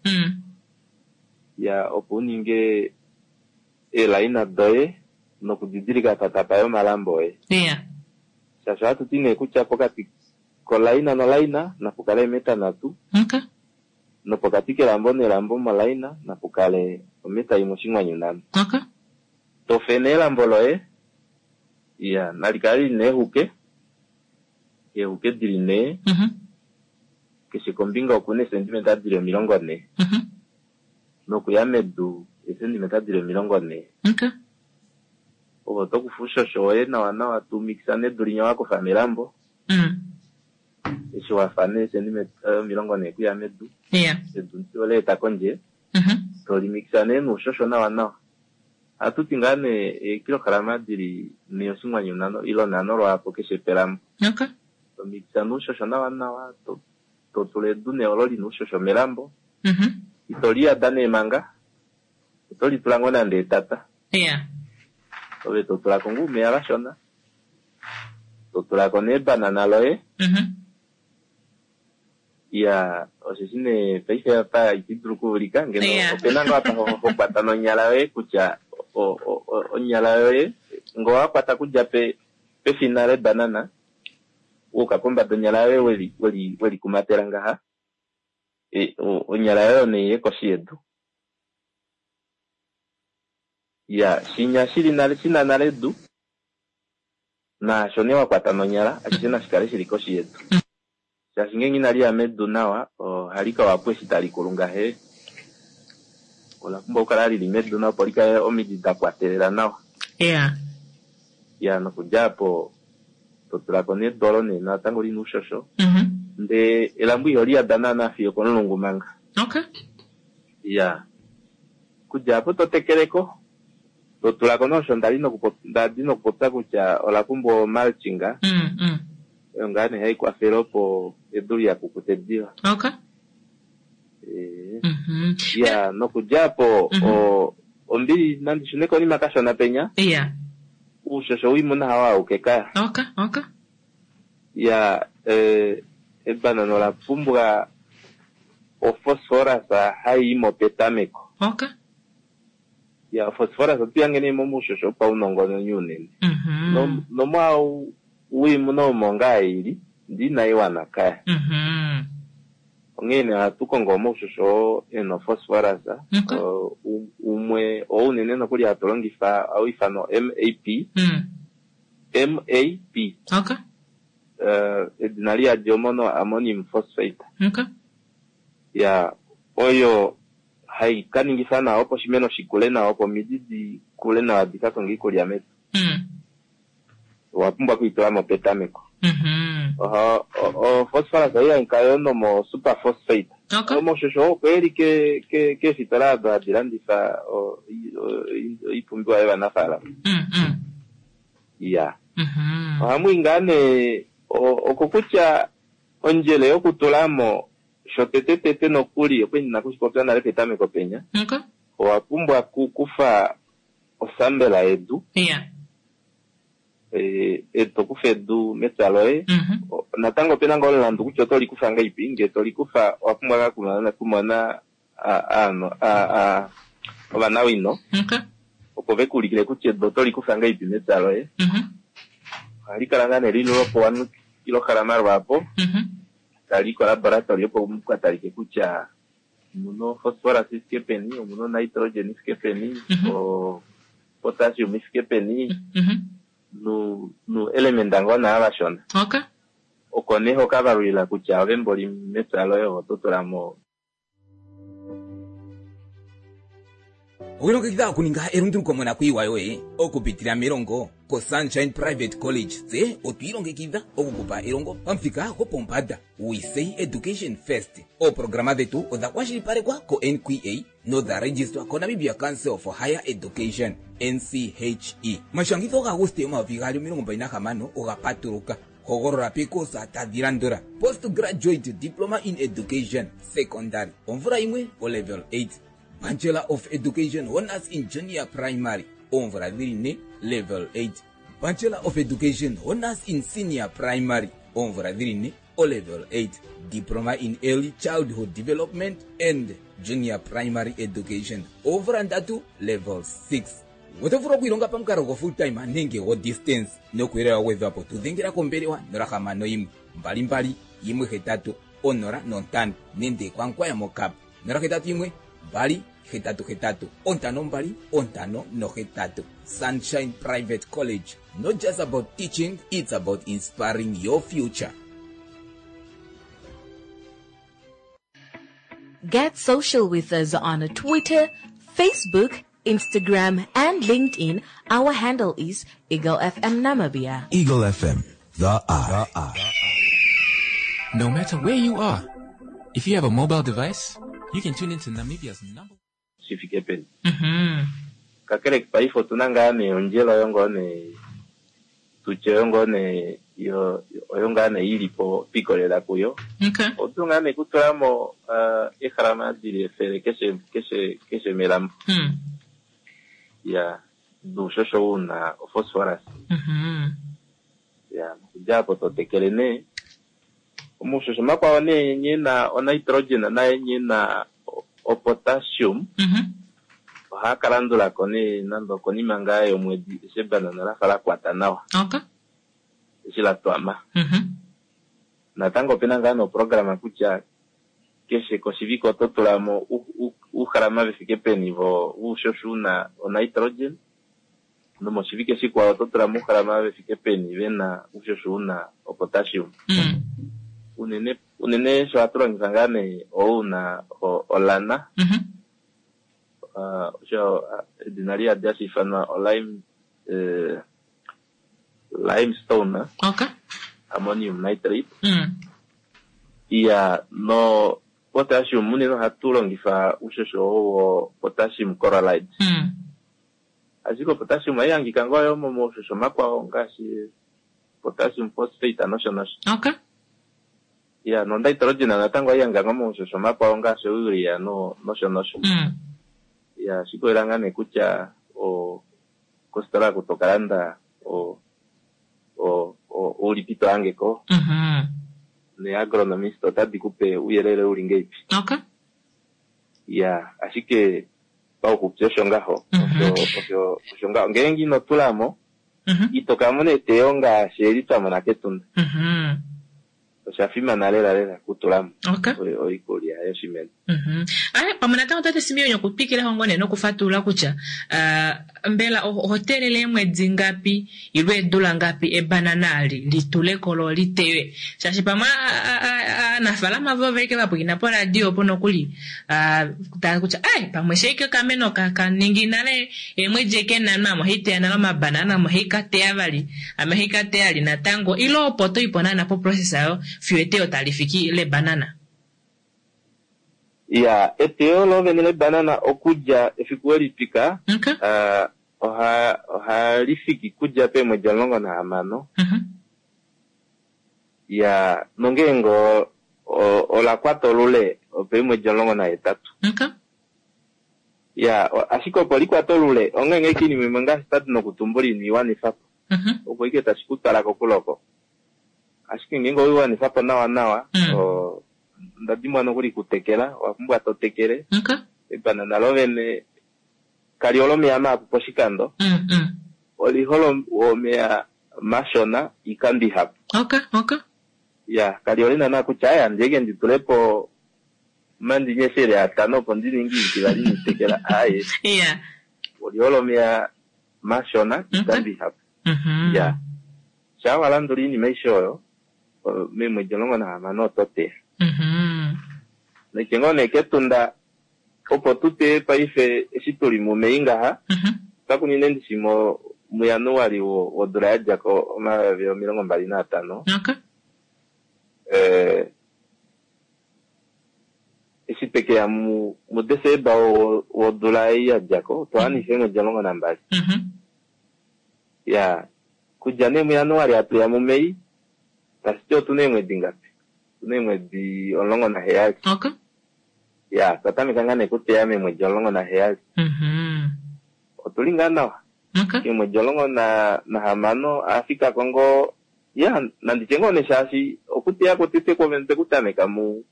Ya, opo uninge eelaina doye nokudidilika apa tapa yi omalambo oye. Yeah. Shaashi ohatu ti nee kutya pokati kolaina nolaina napu kale eemeta 3. Okay. Nopokati kelambo nelambo molaina napu kale ometa 1.5. Okay. Tofe nee elambo loye, iya, nali kale lina eehuke, eehuke dili 4. Mhm. Keshe kombinga okuna eesentimeta dili 40. Mhm. Nokuya medu eesentimeta dili 40. Okay. Ovo tokufa uushosho woye nawa nawa tumixa nedu linya wakufa melambo. Eshi wafa nee eesentimeta 40 kuya medu. Yeah. Edu oleeta kondje. Mhm. Tolimixa nee nuushosho nawa nawa. Ohatu ti ngaa nee eekilograma dili 4.5 ilo 5 lwaapo keshe pelambo. Okay. Tomixa nuushosho nawa nawa, to tula edu nee olo lina uushosho melambo. Mhm. Ito liyada nee manga, oto litula ngoo nande etata. Yeah. Ove to tulako ngoo omeya kashona. To tulako nee ebanana loye. Mhm. Iya, osheshi nee paife apa iti dulu okuulika ngeno Yeah. opena ngoo apa ho kwata nonyala yoye kutya onyala yoye ngoo wa kwata kudja pefina lebanana wuuka pombada onyala yoye weli kumatela ngaha. Onyala yoye nee iye koshi yedu. Ya, shinya shili nale, shina nale edu, naasho nee wa kwata nonyala, ashishe nashi kale shili koshi yedu. Shaashi ngeenge inali ya medu nawa, ohali ka wapo eshi tali kulu ngahe. Ola pumbwa okukala lili medu nawa opo li kale omidi da kwatelela nawa. Ya. Ya, nokudja apo to tula ko nee edu olo nee natango lina oushosho. Ndee elambo iholi yada naana fiyo okomulungu manga. Okay. Ya. Okudja apo to tekele ko, to tula ko nee osho nda li nda di nokupopya kutya ola pumbwa o-mulching. Oyo ngaa nee hai kwafele opo edu liha kukute diva. Okay. Eh. Ya, nokudja apo o ombili nandi shune konima kashona penya. Ya. Uushosho woimuna hawo auke kaya. Okay, okay. Ya, eh, ebanana ola pumbwa ophosphorus hai i mo petameko. Okay. Ya, ophosphorus otu yange nee momushosho wopaunongononi unene. No, nomwaau woimuna omo ngaa ili, ndee inai wana kaya. Onghee nee ohatu kongo omaushosho oo e na ophosphorus. Okay. Umwe oo unene nokuli hatu longifa ohau ifanwa MAP. MAP. Okay. Edina liyadi omono ammonium phosphate. Okay. Ya, oyo hai ka ningifa nawa opo oshimeno shi kule nawa, opo omidi di kule nawa di ka konge oikulya medu. Owa pumbwa okuitula mo petameko. O-phosphorus ohai hangika yo nomo superphosphate. Okay. Omaushosho oo opo eli ke, ke, keefitola odo hadi landifa oipumbiwa yovanafaalama. Ya. Ohamu i ngaa nee okokutya ondjele yokutula mo shotetetete nokuli, okwali ndi na okushipopya nale petameko penya, Okay. owa pumbwa okukufa osambela yedu. Ya. E, to kufa edu mepya loye. Natango opena ngoo omulandu kutya oto li kufa ngahelipi, ngee to li kufa owa pumbwa ngaa kumona ovanawino Okay. opo ve ku ulikile kutya edu oto li kufa ngahelipi mepya loye. Ohali kala ngaa nee lili lwopo 1 kilograma lwaapo, tali i kolaboratory opo mu ka talike kutya omuna ophosphorus i fike peni, omuna onitrogen i fike peni, o potassium i fike peni, nu nu element ngoo naa vashona. Okay. Oko nee ho ka valulila kutya ove mboli mepya loye oto tula mo. Owilongekidha okuninga elunduluko monakuyiwa yoye okupitila melongo koSunshine Private College. Tse otwi ilongekidha okukupa elongo pamuthika gwopombanda. We say education first. Ooprograma dhetu odha kwashilipalekwa ko-NQA nodha registrwa koNamibia Council for Higher Education, NCHE. Omashangitho gaAguste 2026 oga patuluka. Hogolola peekosa tadhi landula, Postgraduate Diploma in Education, Secondary, omvula yimwe, oLevel 8, Bachelor of Education Honours in Junior Primary, oomvula dhili ne, Level 8, Bachelor of Education Honours in Senior Primary, oomvula dhili ne, oLevel 8, Diploma in Early Childhood Development and Junior Primary Education, oomvula ndatu, Level 6. Oto vulu okwiilonga pamukalo go full time nenge go distance nokuyelela wa gwedhwa po tu dhengela kombelewa 061 22 18 05 nenge kwaNkwaya moKap 081 2 88 52 58. Sunshine Private College, not just about teaching, it's about inspiring your future. Get social with us on Twitter, Facebook, Instagram, and LinkedIn. Our handle is Eagle FM Namibia. Eagle FM, the eye. No matter where you are, if you have a mobile device, you can tune into Namibia's number shi fike peni. Kakele paife otu na ngaa nee ondjele oyo ngoo nee tutye oyo ngoo nee yo oyo ngaa nee i li po twa ikolelela kuyo. Okay. Otu ngaa nee kutula mo egrama di li efele keshe keshe keshe melambo. Ya, nuushosho u na ophosphorus. Ya, nokudja apo to tekele nee. Omaushosho makwao nee nghee na onitrogen naye nghee na opotassium. Ohaa ka landula ko nee nande okonima ngaa yomwedi eshi ebanana la fa la kwata nawa. Okay. Eshi la twama. Natango opena ngaa nee oprograma kutya Keshe koshivike oto tula mo uugrama ve fike peni voushosho u na onitrogen, nomoshivike shikwao oto tula mo uugrama ve fike peni ve na oushosho u na opotassium. Unene unene sho hatu longifa ngaa nee ou na olana, osho edina liyadi hashi ifanwa olime limestone, ammonium nitrate. Iya, no potassium unene ohatu longifa uushosho wo potassium chloride. Ashike opotassium ohayi hangika ngoo yo momaushosho makwao ngaashi potassium phosphate nosho nosho. Iya, no nitrogen natango ohayi hangika ngoo momaushosho makwao ngaashi ourea no nosho nosho. Iya, ashike oila ngaa nee kutya o kositola oku to ka landa o o o oulipi to hange ko. Neeagronomist otadi ku pe ouyelele uli ngeipi. Iya, ashike pauxupi osho ngaho. Osho osho osho ngaho. Ngeenge ino tula mo, ito ka mona eteyo ngaashi eli twa mona kEtunda. Osha fimana lela lela okutula mo oikulya yoshimeno. Aye, pamwe natango tate Simeon okutwikila ngoo nee nokufatulula kutya mbela oho teelele eemwedi ngapi ile eedula ngapi ebanana li litule ko lo li teywe? Shaashi pamwe aanafaalama vo oveke va pwilikina poradio opo nokuli tava kutya ai pamwe shee ike okameno ka ka ningi nale eemwedi eke nhano ame ohai teya nale omabanana ame ohai ka teya vali ame ohai ka teya li natango ile opo to ipo naana po process ayo fiyo eteyo tali fiki lebanana. Iya, eteyo loovene lebanana okudja efiku we li twika, oha ohali fiki kudja peemwedi 16. Iya, nongeenge ola kwata olule opeemwedi 18. Iya, ashike opo li kwate olule, ongeenge ashike oinima imwe ngaashi twa di nokutumbula ino i wanifa po, opo ashike tashi ku twala kokule oko. Ashike ngeenge owe i wanifa po nawanawa, onda dimbwa nokuli kutekela, owa pumbwa to tekele. Ebanana lovene kali hole omeya mahapu poshikando, oli hole omeya mashona oikando ihapu. Iya, kali hole naana kutya aye handi eke ndi tule po omandini efele atano opo ndi ninge iitivali niitekela, aaye. Oli hole omeya mashona oikando ihapu. Iya, shaa wa landula iinima aishe oyo, meemwedi 16 oto teya. Naitye ngoo nee kEtunda opo tu teye paife eshi tu li muMei ngaha, otwa kunine ndishi muJanuali wodula ya dja ko 2025. Eshi twe ke ya muDesemba wodula ei ya dja ko, otwa wanifa eemwedi 12. Ya, kudja nee muJanuali hatu ya muMei, tashi ti otu na eemwedi ngapi? Otu na eemwedi 17. Ya, otwa tameka ngaa nee okuteya meemwedi 17. Otu li ngaa nawa. Eemwedi 16 a fika ko ngoo, ya, nandi tye ngoo nee shaashi okuteya kwotete kwovene otwe ku tameka mu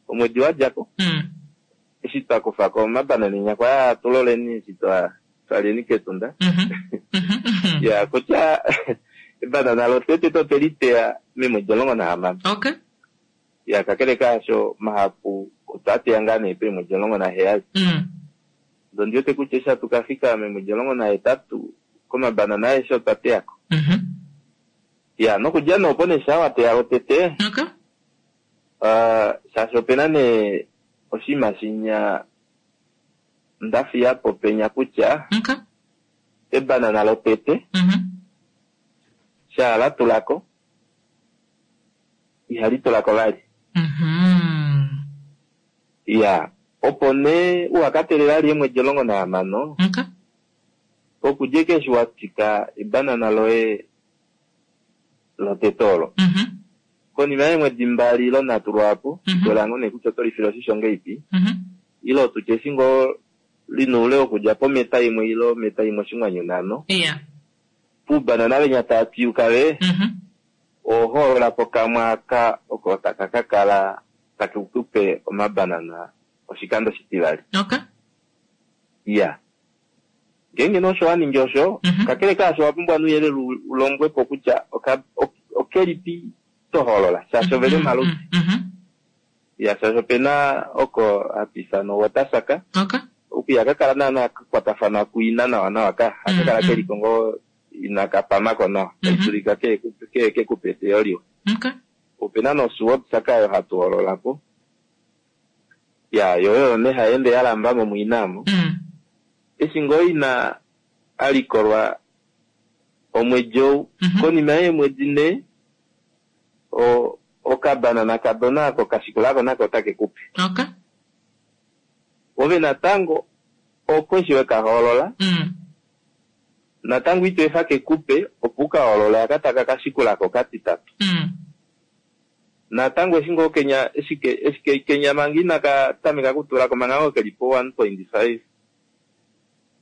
omwedi wa dja ko. Eshi twa kufa ko omabanana enyakwa aa tu loleni eshi twa twaleni kEtunda. Ya, kutya ebanana lotete otwe li teya meemwedi 16. Ya, kakele kaasho, mahapu otwa teya ngaa nee peemwedi 17. Ndee ondi wete kutya eshi hatu ka fika meemwedi 18, komabanana aeshe otwa teya ko. Ya, nokudja nee opo nee shaa wa teya lwotete, shaashi ope na nee oshinima shinya nda fiya po penya kutya, ebanana lotete, shaa la tula ko, ihali tula ko vali. Iya, opo nee uha ka teelela vali eemwedi 16, pokudja ashike eshi wa twika ebanana loye lotete olo, konima yeemwedi mbali ile nhatu lwaapo, likolela ngoo nee kutya oto li file oshisho ngahelipi, ile otu tye eshi ngoo li na oule wokudja pometa imwe ile ometa imwe oshinghwanyu nhano, puubanana venya taa twiyuka ve, Oho hoolola po kamwe aka oko taka ka kala take ku pe omabanana oshikando oshitivali. Okay. Iya. Ngeenge nee osho wa ningi osho, kakele kaasho owa pumbwa nouyelele u lombwe po kutya oka, okelipi to hoolola, shaashi ove li omaludi. Ya shaashi opena oko hatu ifana owater-sucker. Okay. Oku ihaka kala naana ka kwatafana kuina nawa nawa ka. Haka kala Mm, ke li ko ngoo inaka pamako nawa. Mhm. Tashi dulika ke ke ke kupe eteyo liwa. Okay. Opena nosword-sucker oyo hatu hoolola po. Ya, yo oyo nee hai ende ya lamba mo muina omo. Mm. Eshi ngoo ina a likolwa omwedi ou, Mhm. konima yeemwedi nhee, o- okabanana kadona ako ka shikulako nako otake kupe. Okay. Ove natango oko eshi weka hoolola, Mm. natango ito efa kekupe opo u ka hoolole aka taka ka shikulako okatitatu. Mm. Natango eshi ngoo kenya eshi ke- eshi ke- kenya manga inaka tameka kutulako manga ngoo keli po 1.5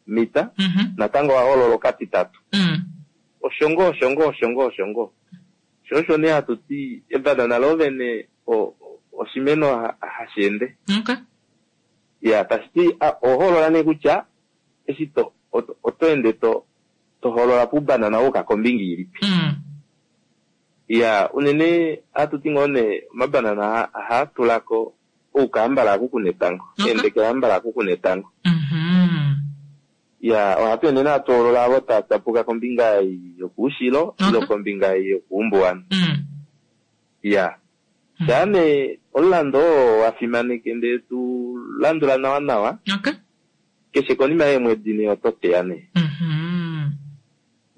mita, Mhm. natango owa hoolola okatitatu. Mm. Osho ngoo, osho ngoo, osho ngoo, osho ngoo. Sho osho nee hatu ti ebanana lo vene o- o- oshimeno ha- hashi ende. Okay. Ya, tashi ti a- oho hoolola nee kutya eshi to oto oto ende to to hoolola puubanana wa yuka kombinga ilipi. Mm. Ya, unene ohatu ti ngoo nee omabanana oha- ohaa tula ko oukahambala aku kuna etango. Okay. Eendekela hambala aku kuna etango. Mhm. Ya, ohatu ende nee hatu hoolola avo tava tyapuka kombinga yokuushilo Okay. ile kombinga yokuumbuwanhu. Mm. Ya. Shaa nee omulando oo wa fimaneke ndele tu landula nawa nawa, Okay. keshe konima yeemwedi nee oto teya nee. Mhm.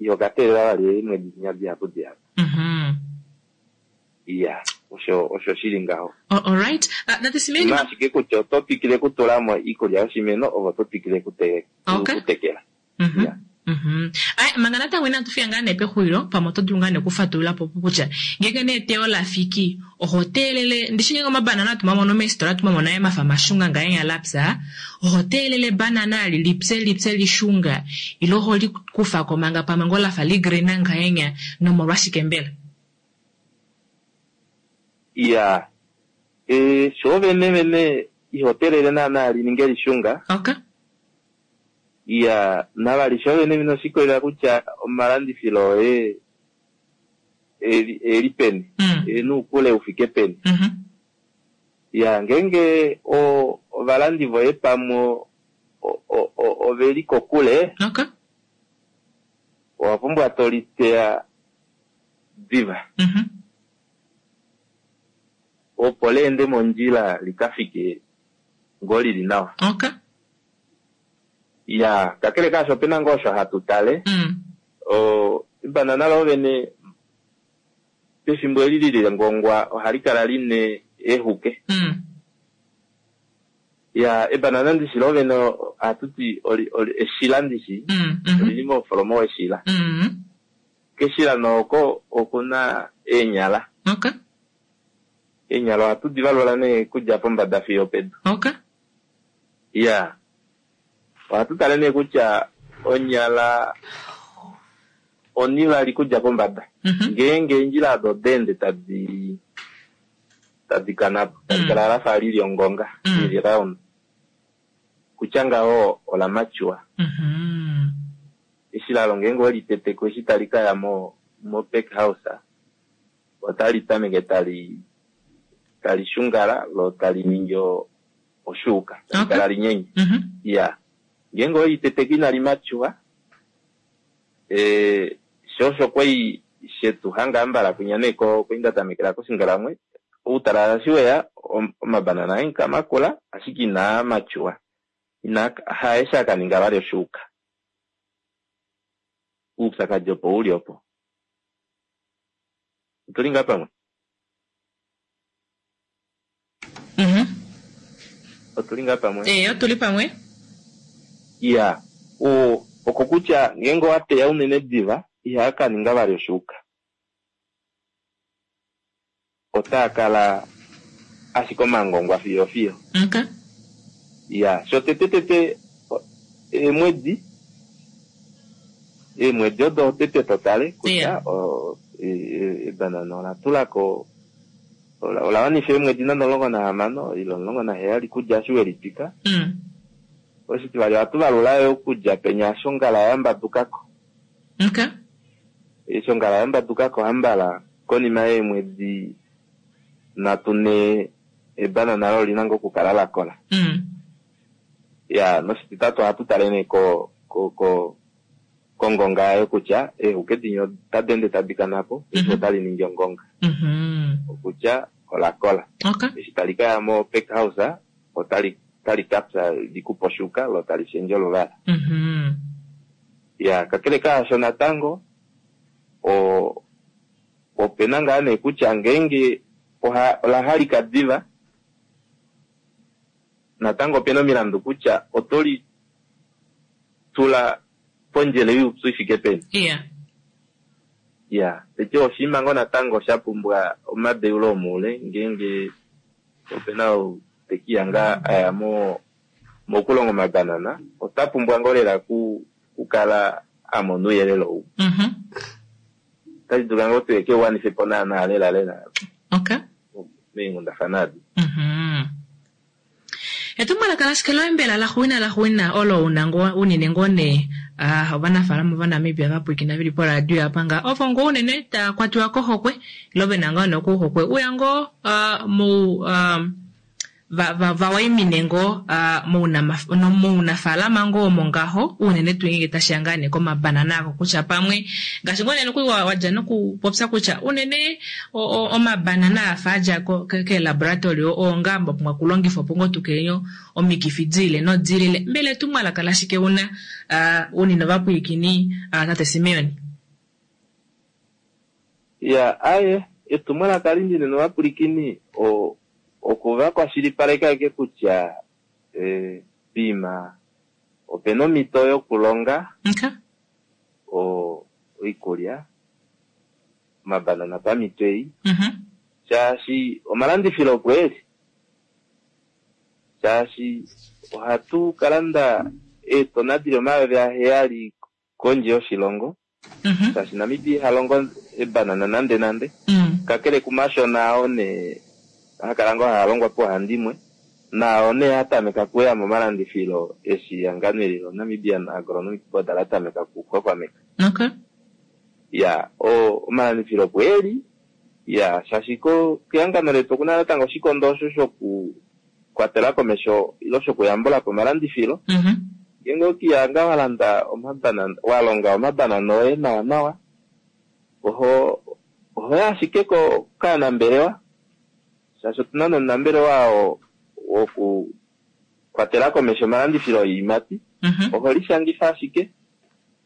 Iho ka teelela vali eemwedi dinya dihapu dihapu. Mhm. Ya, osho osho shili ngaho. Oh, all right. Uh, natu simeni Na ashike kutya oto twikile okutula mo iikulya yoshimeno ove oto twikile okute- Okay. okutekela. Mhm. Ya. Mhm. Ai, manga natango inatu fika ngaa nee pexulilo pamwe oto dulu ngaa nee okufatulula po kutya ngeenge nee eteyo la fiki oho teelele ndishi ngeenge omabanana hatu mamono meesitola hatu mamona ee mafa mashunga ngahenya lapya oho teelele ebanana ali lipye lipye lishunga ile oho likufako manga pamwe ngoo lafa ligreen ngahenya nomolwashike mbela? Ya. E, sho vene vene iho teelele naana li ninge lishunga. Okay. Ya, navali sho vene vene oshikolela kutya omalandifilo oye eli, eli peni. Mm. E nuukule ufike peni. Mhm. Ya, ngeenge o, ovalandi voye pamwe o- o- o- oveli kokule, Okay. owa pumbwa to li teya diva. Mhm. Opo leende mondjila li ka fike ngoo lili nawa. Okay. Ya, kakele kaasho opena ngoo osho hatu tale. Mm. O, ebanana lo vene pefimbo eli lili lengongwa ohali kala line eehuke. Mm. Ya, ebanana ndishi lo vene ohatu ti oli, oli, eshila ndishi. Mm. Mhm. Olili mofolomo weshila. Mm. Keshila nooko okuna eenyala. Okay. Eenyala ohatu di valula nee kudja pombada fiyo pedu. Okay. Ya. Ohatu tale nee kutya onyala onivali kudja pombada. Mhm. Ngeenge eendjila odo oda ende tadi tadi kana po, tali Mm. kala lafa lili ongonga, Mm. lili round. Kutya ngaho ola mature. Mhm. Eshi lalo ngeenge oweli teteko eshi tali kaya mo mo pack house otali tameke tali tali shungala lo tali ningi o- oshuuka, tali Okay. kala linyenye. Mhm. Ya. Ngeenge oweli teteko inali mature, eh, sho osho kwai shetu hanga ambala kwinya nee ko kwai nda tamekela koshingalamwe, outalala eshi weya om- omabanana aenka makula ashike inaa mature. Ina haeshi aka ninga vali oshuuka. Oupyakadi opo uli opo. Otuli ngaa pamwe? Mhm. Otuli ngaa pamwe? Eh, otuli pamwe. Ya. O, oko kutya ngeenge owa teya unene diva, ihaa ka ninga vali oshuuka. Otaa kala ashike omangongwa fiyo fiyo. Okay. Ya, sho tete tete o- eemwedi eemwedi odo tete to tale kutya Yeah. o- e- e- ebanana ola tulako ola ola wanifa eemwedi nande 16 ile 17 kudja eshi weli twika. Mm. Oshitivali ohatu valula yo okudja penya eshi ongala ya mbadukako. Okay. Eshi ongala ya mbadukako hambala konima yeemwedi 3 nhee. Ebanana lo olina ngoo okukala la kola. Ya, noshititatu ohatu tale nee ko ko ko kongonga yayo kutya eehuke dinya otadi ende tadi kana po, paife otali ningi ongonga. Okutya ola kola. Eshi tali ka ya mo pack house otali otali ka pya li kupe oshuka lo tali shendje oluvala. Ya, kakele kaasho natango o opena ngaa nee kutya ngeenge oha ola halika diva natango opena omilandu kutya oto li tula pondjele youpyu i fike peni. Iya. Iya, teti oshinima ngoo natango sha pumbwa omadeulo omoule ngeenge opena ou te ke lihanga a ya mo mokulonga omabanana ota pumbwa ngoo lela ku kukala a mona ouyelele ou. Otashi dulika ngoo tuye ke u wanife po naanaa lela lela Okay. meenghundafana adi. Etumwalaka lashike loye mbela laxuuninwa laxuuninwa olo una ngoo unene ngoo nee ah, ovanafaalama Ovanamibia va pwilikina veli poradio apa nga ovo ngoo unene tava kwatiwa kohokwe ile ve na ngoo nee okuhokwe uya ngoo ah, mou ah, va, va, va waimine ngoo mounafaalama ngoo omo ngaho, unene tuu ngeenge tashi ya ngaa nee komabanana ako kutya pamwe ngaashi ngoo nee nokuli wa, wa dja nokupopya kutya unene omabanana a fa a dja keelaboratory oo ngaa mwa pumbwa okulongifwa opo ngoo tu kelele omikifi di lile nodi lile. Mbela etumwalaka lashike u na unene ovapwilikini tate Simeon? Ya, aye, etumwalaka li ndi nena ovapwilikini o, oku va kwashilipaleka ashike kutya e, poima ope na omhito yokulonga Okay. o, oikulya, omabanana pamhito ei, Mhm. shaashi omalandifilo opo e li. Shaashi ohatu ka landa eetona di li 7000 kondje yoshilongo, Mhm. shaashi Namibia iha longo ebanana nande nande. Kakele kumashona ao nee haa kala ngoo haa longwa pauhandimwe, naao nee a tameka okuuya momalandifilo eshi ehangano eli loNamibian Agronomic Board la tameka okuxwaxwameka. Okay. Ya, o, omalandifilo opo e li, ya, shaashi ko, kehangano letu okuna natango oshikondo osho shoku kwatela komesho ile shokuyambula po omalandifilo. Mhm. Ngeenge okiya nga wa landa omabanana, wa longa omabanana oye nawa nawa, oho oho ya ashike ko kaanambelewa, shaashi otuna nomunambelewa oo woku kwatela komesho omalandifilo oiimati, Mhm. oho lishangifa ashike,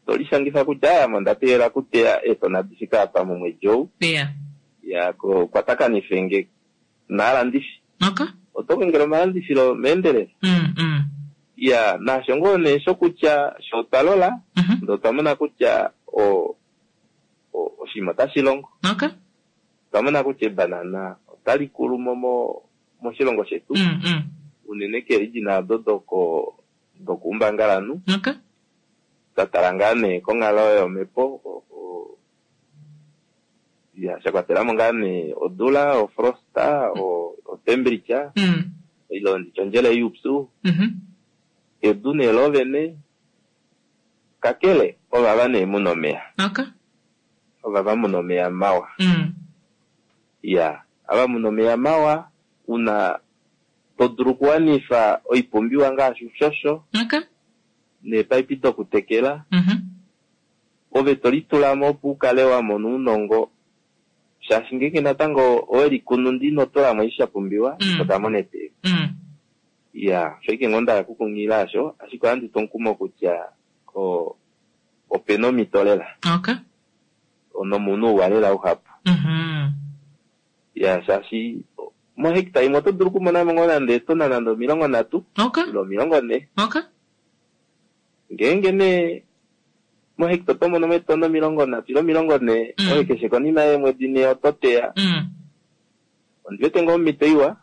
to lishangifa kutya aya ame onda teelela okuteya eetona di fike apa momwedi ou, Yeah. ya ko kwatakanife nge naalandifi. Okay. Oto kongele omalandifilo meendelelo. Mm, mm. Ya, naasho ngoo nee shokutya sho otwa lola, Mhm. ndee otwa mona kutya o, o, oshinima otashi longo. Okay. Otwa mona kutya ebanana otali kulu mo mo moshilongo shetu, Mm, mm. unene keerijina odo doko dokuumbangalanhu. Okay. Twa tala ngaa nee konghalo yomhepo, o, o, ya, sha kwatela mo ngaa nee odula, ofrosta, o, otemperature, Mm. ile nditye ondjele youpyu, Mhm. edu nee lovene, kakele ovava nee muna omeya. Okay. Ovava muna omeya mawa. Mm. Ya, ava muna omeya mawa, una to dulu okuwanifa oipumbiwa ngaashi oushosho, Okay. neepaipi dokutekela, Mhm. ove to litula mo opo u kale wa mona ounongo, shaashi ngeenge natango owe likunu ndee ino tula mo eshi sha pumbiwa, Mm. ito ka mona eteyo. Mm. Ya, osho ashike ngoo nda hala okukunghilila asho, ashike ohandi tu omukumo kutya o, opena omhito lela. Okay. Nomunhu ouwa lela uhapu. Mhm. Ya, shaashi mohekta imwe oto dulu okumona mo ngoo nande eetona nande 30, Okay. ile 40. Okay. Ngeenge nee mohekta oto mono mo eetona 30 ile 40, Mm. oye keshe konima yeemwedi 4 oto teya. Mm. Ondi wete ngoo omhito iwa,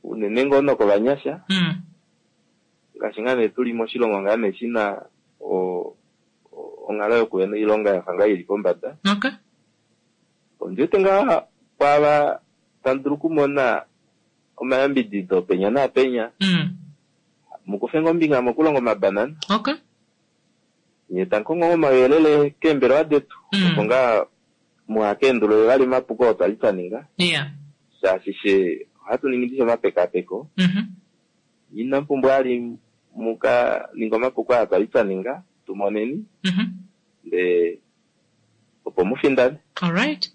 unene ngoo nokovanyasha, Mm. ngaashi ngaa nee tuli moshilongo ngaa nee shina o, o, onghalo yokuhena oilonga yafa ngaa ili pombada. Okay. Ondi wete ngaa kwaava tamu dulu okumona omayambidido penya naapenya, Mm. mukufe ngoo ombinga mokulonga omabanana, Okay. nye tamu kongo ngoo omauyelele keembelewa detu, Mm. opo ngaa muhakeendulule vali omapuko oo twali twa ninga, Yeah. shaashi she Ohatu ningi ndishi omapekapeko. Inamu pumbwa vali muka ninge omapuko aa twali twa ninga, tu moneni ndee opo mu findane. Alright.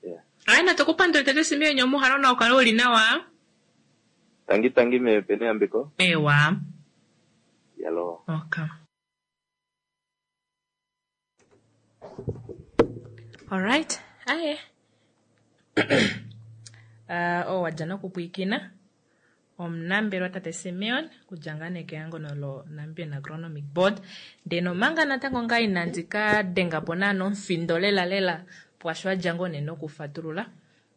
Yeah. Aye natu ku pandule tate Simeon omuhalo na ukale uli nawa. Tangi tangi me pene yambeko. Ewa. Yalo. Okay. Alright. Aye. Oo wadja nokupwiikina omunambelwa tate Simeon kudja ngaa nee kehangano lo Namibian Agronomic Board. Ndee nomanga natango ngaa inandi ka denga po naana omufindo lela lela pwaasho adja ngoo nee nokufatulula,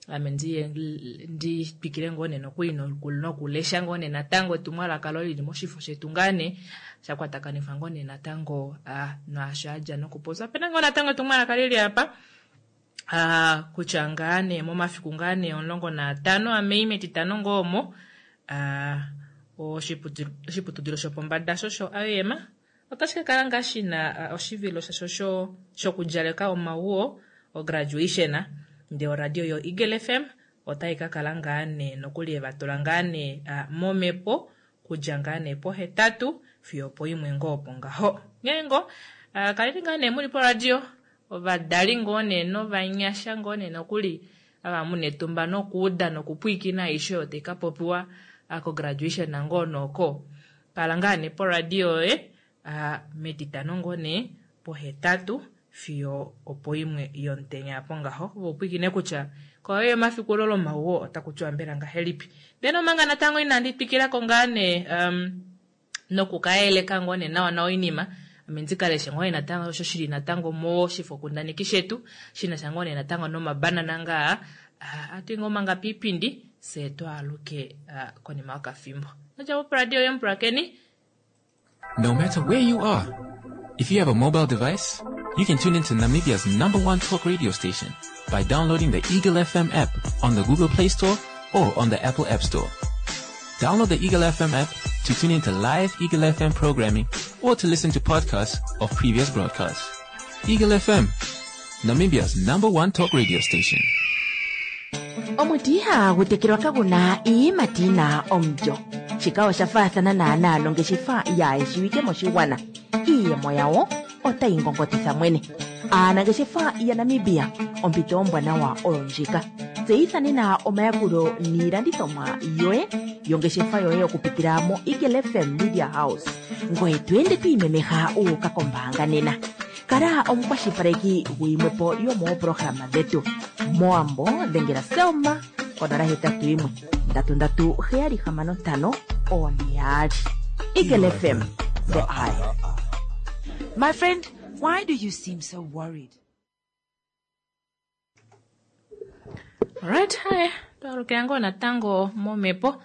ame ndiye ndi twikile ngoo nee nokuli nokulesha ngoo nee natango etumwalaka lo lili moshifo shetu ngaa nee sha kwatakanifwa ngoo nee natango naasho adja nokupopya. Opena ngoo natango etumwalaka lili apa kutya ngaa nee momafiku ngaa nee 15 aMei metitano ngoo omo oshiputudilo shopombada sho sho IOM otashi ka kala ngaa shina oshivilo shasho shokudjaleka omauo ograduation, ndee oradio yo Eagle FM otai ka kala ngaa nee nokuli eva tula ngaa nee momhepo kudja ngaa nee pohetatu fiyo opoimwe ngoo opo ngaho. Nghee ngoo, kaleni ngaa nee muli poradio, ovadali ngoo nee novanyasha ngoo nee nokuli ava muna etumba nokuuda nokupwiikina aishe oyo tai ka popiwa kograduation ngoo nooko. Kala ngaa nee poradio yoye metitano ngoo nee pohetatu fiyo opoimwe yomutenya apo ngaho. Ove upwiikine kutya koyo yomafiku olo lomauo otaku tiwa mbela ngahelipi. Ndele omanga natango inandi twikila ko ngaa nee nokukayeleka ngoo nee nawa nawa oinima, ame ndi ka leshe ngoo nee natango osho shili natango moshifokundaneki shetu shina sha ngoo nee natango nomabanana ngaa atu ngoo manga piipindi fye twaaluke konima yokafimbo. Nodja po radio yomupulakeni. No matter where you are, if you have a mobile device, you can tune into Namibia's #1 talk radio station by downloading the Eagle FM app on the Google Play Store or on the Apple App Store. Download the Eagle FM app to tune into live Eagle FM programming or to listen to podcasts of previous broadcasts. Eagle FM, Namibia's #1 talk radio station. Omuti ihagu tekelwa kagu na iiyimati na omulyo. Shika osha faathana naanaa nongeshefa yaayeshiwike moshigwana. Iiyemo yawo otayi ngongotitha mwene. Aanangeshefa yaNamibia, ompito ombwanawa oyo ndjika. Tseyitha nena omayakulo niilandithomwa yoye yongeshefa yoye okupitila mo Eagle FM Media House. Ngoye to ende to imemeha u uka kombaanga nena. Kala omukwashilipaleki guyimwepo yomooprograma dhetu. Mowambo dhengela Selma konola hetatu yimwe ndatu ndatu heyali hamano ntano one yaali. Eagle FM, the eye. My friend, why do you seem so worried? Alright, hi. Twalukila ngoo natango momhepo.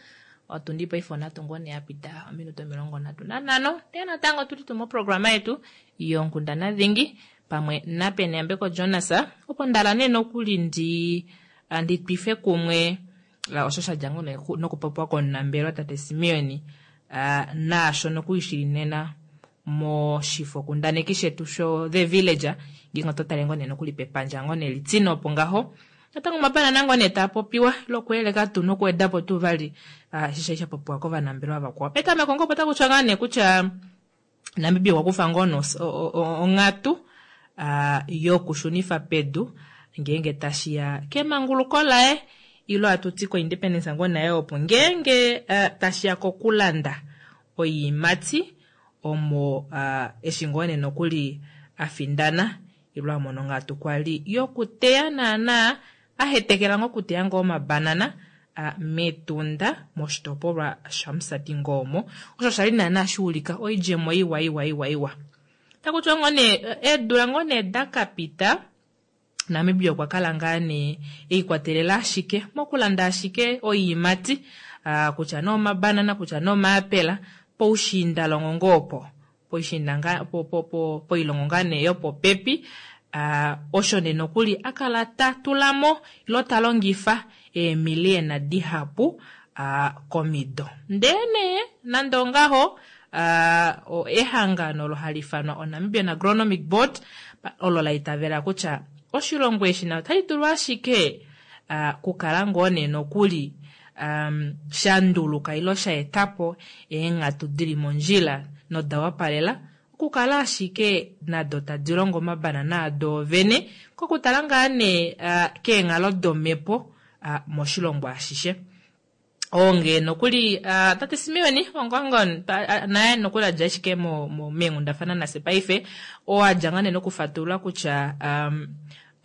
Otundi paife onhatu ngoo nee ya pita ominute 35. Ndee natango tuli tuu moprograma yetu yonkundana dhingi pamwe naPeneyambeko Jonas. Opo ndala nee nokuli ndi twife kumwe osho sha dja ngoo nee nokupopiwa komunambelewa tate Simeon, naasho nokuli shili nena moshifokundaneki shetu sho The Villager, ngeenge oto tale ngoo nee nokuli pepandja ngoo nee litine opo ngaho. Natango omabanana ngoo nee taa popiwa lokueleka tuu nokuweda po tuu vali, eshi sha popiwa kovanambelewa vakwao. Petameko ngoo opo taku tiwa ngaa nee kutya Namibia okwa kufa ngoo onghatu yokushunifa pedu ngeenge tashi ya kemanguluko laye ilo atu ti ko-independence ngoo naye opo ngeenge tashi ya kokulanda oiimati omo eshi ngoo nee nokuli a findana ilo a mona onghatu kwali yokuteya naana a hetekela ngoo okuteya ngoo omabanana mEtunda moshitopolwa shaMusati ngoo omo. Osho sha li naana sha ulika oidjemo iwa iwa iwa iwa. Taku tiwa ngoo nee eedula ngoo nee da ka pita Namibia okwa kala ngaa nee eikwatelela ashike mokulanda ashike oiimati, kutya nee omabanana kutya nee omaapela poushiindalongo ngoo opo, poishiinda ngaa, po, po, po, poilongo ngaa nee yopopepi. Osho nee nokuli a kala ta tula mo ilo ta longifa eemiliyena dihapu komido. Ndee nee nande ongaho, ehangano olo hali ifanwa oNamibian Agronomic Board olo la itavela kutya oshilongo eshi na otashi dulu ashike kukala ngoo nee nokuli. um, sha nduluka ilo sha eta po eenghatu di li mondjila noda wapalela okukala ashike nado tadi longo omabanana ado vene kokutala ngaa nee uh, keenghalo domhepo uh, moshilongo ashishe. Onge nokuli uh, tate Simeoni Ongongon naye nokuli adja ashike meenghundafana nase paife oo adja ngaa nee nokufatulula kutya um,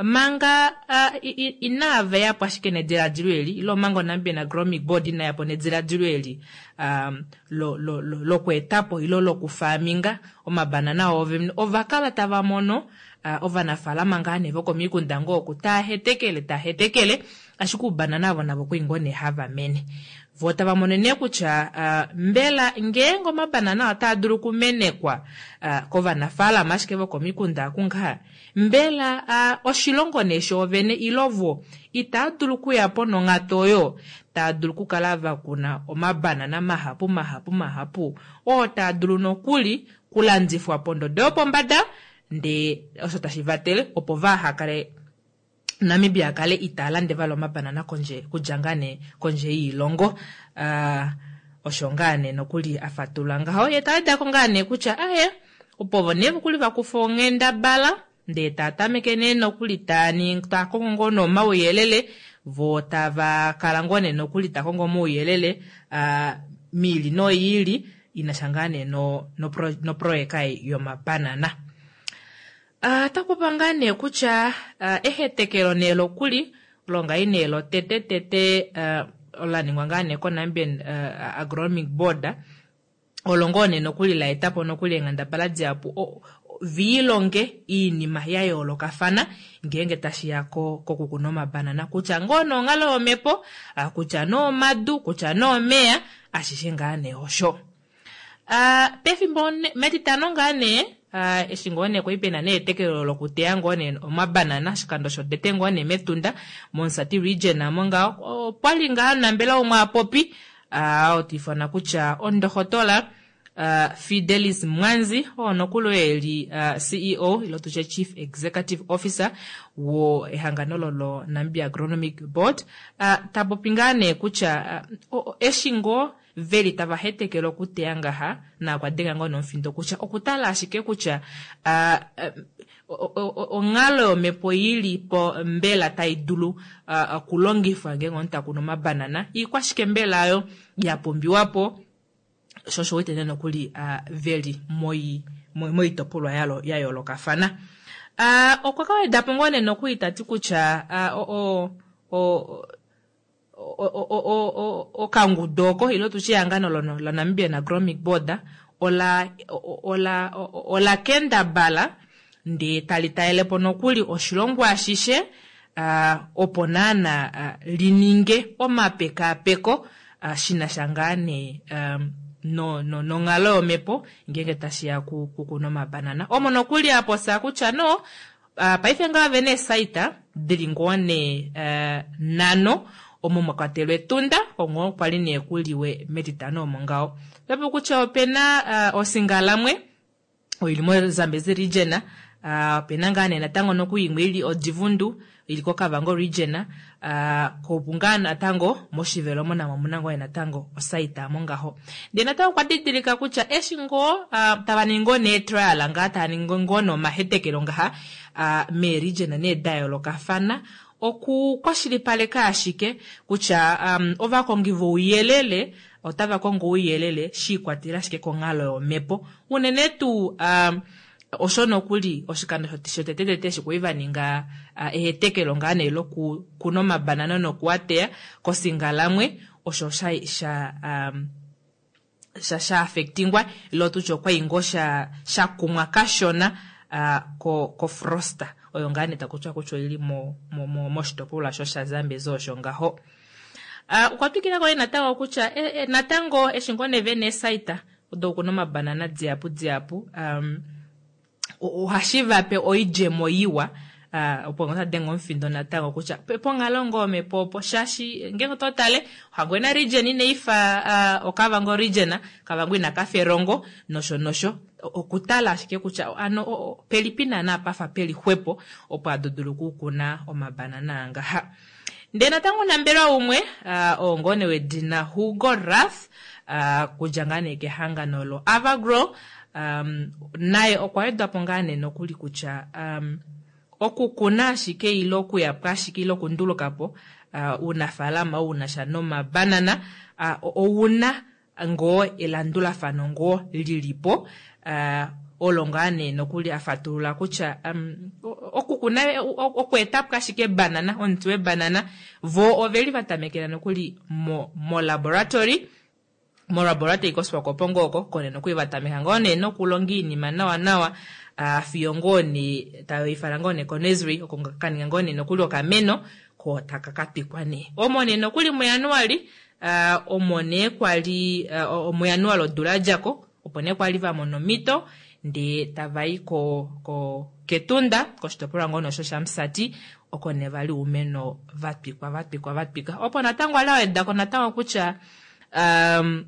manga uh, inava yapo ashike nediladilo eli ile omanga oNamibian Agronomic Board ina yapo nediladilo eli um, lokweetapo lo, lo, ile lokufaaminga omabanana oovene ova kala tava mono uh, ovanafaalama ngaa nee vokomikunda ngoo oku taa hetekele taa hetekele ashike oubanana avo navo kwii ngoo nee hava mene. Vo tava mono nee kutya uh, mbela ngeenge omabanana otaa dulu okumenekwa uh, kovanafaalama ashike vokomikunda kungaha mbela uh, oshilongo nee shoovene ilo vo itaa dulu okuya po nonghatu oyo taa dulu okukala va kuna omabanana mahapu mahapu mahapu oo taa dulu nokuli kulandifwa pondodo yopombada ndee osho tashi vatele opo vaha kale Namibia kale itaa lande vali omabanana kondje kudja ngaa nee kondje yiilongo. Uh, osho ngaa nee nokuli a fatulula ngaho ye ta weda ko ngaa nee kutya aye opo vo nee vokuli va kufa onghendabala ndee taa tameke nee nokuli taa taa kongo ngoo nee omauyelele vo tava kala ngoo nee nokuli ta kongo omauyelele uh, miili noyiili inasha ngaa nee no, no, noproyeka yomabanana. Uh, ota popa ngaa nee kutya uh, ehetekelo nee lokuli longai nee lotete tete uh, ola ningwa ngaa nee koNamibian uh, Agronomic Board olo ngoo nee nokuli la eta po nokuli eenghendabala dihapu viilonge iinima ya yoolokafana ngeenge tashi ya kokukuna omabanana kutya ngoo nonghalo yomhepo kutya noomadu kutya noomeya ashishe ngaa nee osho. Uh, pefimbo metitano ngaa nee uh, eshi ngoo nee kwali pena nee etekelo lokuteya ngoo nee omabanana oshikando shotete ngoo nee mEtunda mOmusati region amo ngaho opwali ngaa nambela umwe apopi uh, otiifana kutya ondohotola uh, Fidelis Mwanzi oo nokuli oye eli uh, CEO ilo tutye Chief Executive Officer wo ehangano lolo Namibia Agronomic Board uh, tapopi ngaa nee kutya uh, eshi ngoo veli tava hetekele okuteya ngaha na okwa denga ngoo nomufindo kutya okutala ashike kutya uh, onghalo yomhepo ili po mbela tai dulu okulongifwa ngeenge omunhu ta kunu omabanana iikwashike mbela ayo ya pumbiwa po sho osho wete nee nokuli uh, veli moitopolwa ya yoolokafana. Uh, okwa ka weda po ngoo nee nokuli tati kutya uh, okangudu oko ilo tutye ehangano laNamibian Agronomic Board ola ola ola kendabala ndee tali talele po nokuli oshilongo ashishe uh, opo naana uh, lininge omapekaapeko uh, shina sha ngaa nee um, no, no, nonghalo yomhepo ngeenge tashi ya kukuna omabanana omo nokuli aposa kutya no uh, paife ngaa vene eesaita dili ngoo nee uh, nano omo mwa kwatelwa Etunda ongo kwali nee kuliwe metitano omo ngaho otapu kutya opena uh, osingalamwe oili moZambezi region uh, opena ngaa nee natango noku imwe ili Odivundu ili koKavango region uh, kopu ngaa natango mOshivelo namo omuna ngoo natango osaita mo ngaho. Ndee natango okwa didilika kutya eshi ngoo uh, tava ningi ngoo nee trial ngaa tava ningi ngoo nomahetekelo ngaha uh, meeregion nee da yoolokafana okukwashilipaleka ashike kutya um, ovakongi vouyelele otava kongo ouyelele shi ikwatelela ashike konghalo yomhepo unene tuu um, osho nokuli oshikando shotetetete eshi kwali va ninga uh, ehetekelo ngaa nee lokukuna omabanana nokuateya kosingalamwe osho sha sha um, sha sha affectingwa ilo tutye okwai ngoo sha sha kumwa kashona uh, ko ko frosta oyo ngaa nee takutya kutya oili mo moshitopolwa sho shaZambezi osho ngaho. Uh, okwa twikila ko natango kutya e, e, natango eshi ngoo nee vene eesaita odo kuna omabanana dihapu dihapu um, ohashi vape oidjemo iwa uh, opo ngoo tadenga omufindo natango kutya ponghalo ngoo omhepo opo shaashi ngeenge oto tale Ohangwena region inaifa uh, Okavango region, Kavango ina kafa Erongo nosho nosho okutala ashike kutya ano pelipi naana pafa peli xwepo opo ado dulu okukuna omabanana angaha. Ndee natango omunambelewa umwe uh, oo ngoo nee wedina Hugo Rath uh, kudja ngaa nee kehangano lo Avagro um, naye okwa wedwa po ngaa nee nokuli kutya um, okukuna ashike ile okuya po ashike ile okunduluka po uh, uunafaalama ou na sha nomabanana uh, ouna ngoo elandulafano ngoo lili po uh, olo ngaa nee nokuli a fatulula kutya um, okukuna okweeta po ashike ebanana omuti webanana vo oveli va tamekela nokuli mo, mo laboratory molaboratory koSwakopo ngoo oko kone nokuli va tameka ngoo nee nokulonga iinima nawa nawa uh, fiyo ngoo nee tayoifala ngoo nee konesri oko kaninga ngoo nee nokuli okameno ko taka ka twikwa nee omo nee nokuli muJanuali uh, omo nee kwali uh, muJanuali odula ya djako opo nee kwali va mona omhito ndee tava i ko, ko kEtunda koshitopolwa ngoo nosho shaMusati oko nee vali oumeno va twikwa va twikwa va twika opo natango ali aweda ko natango kutya um,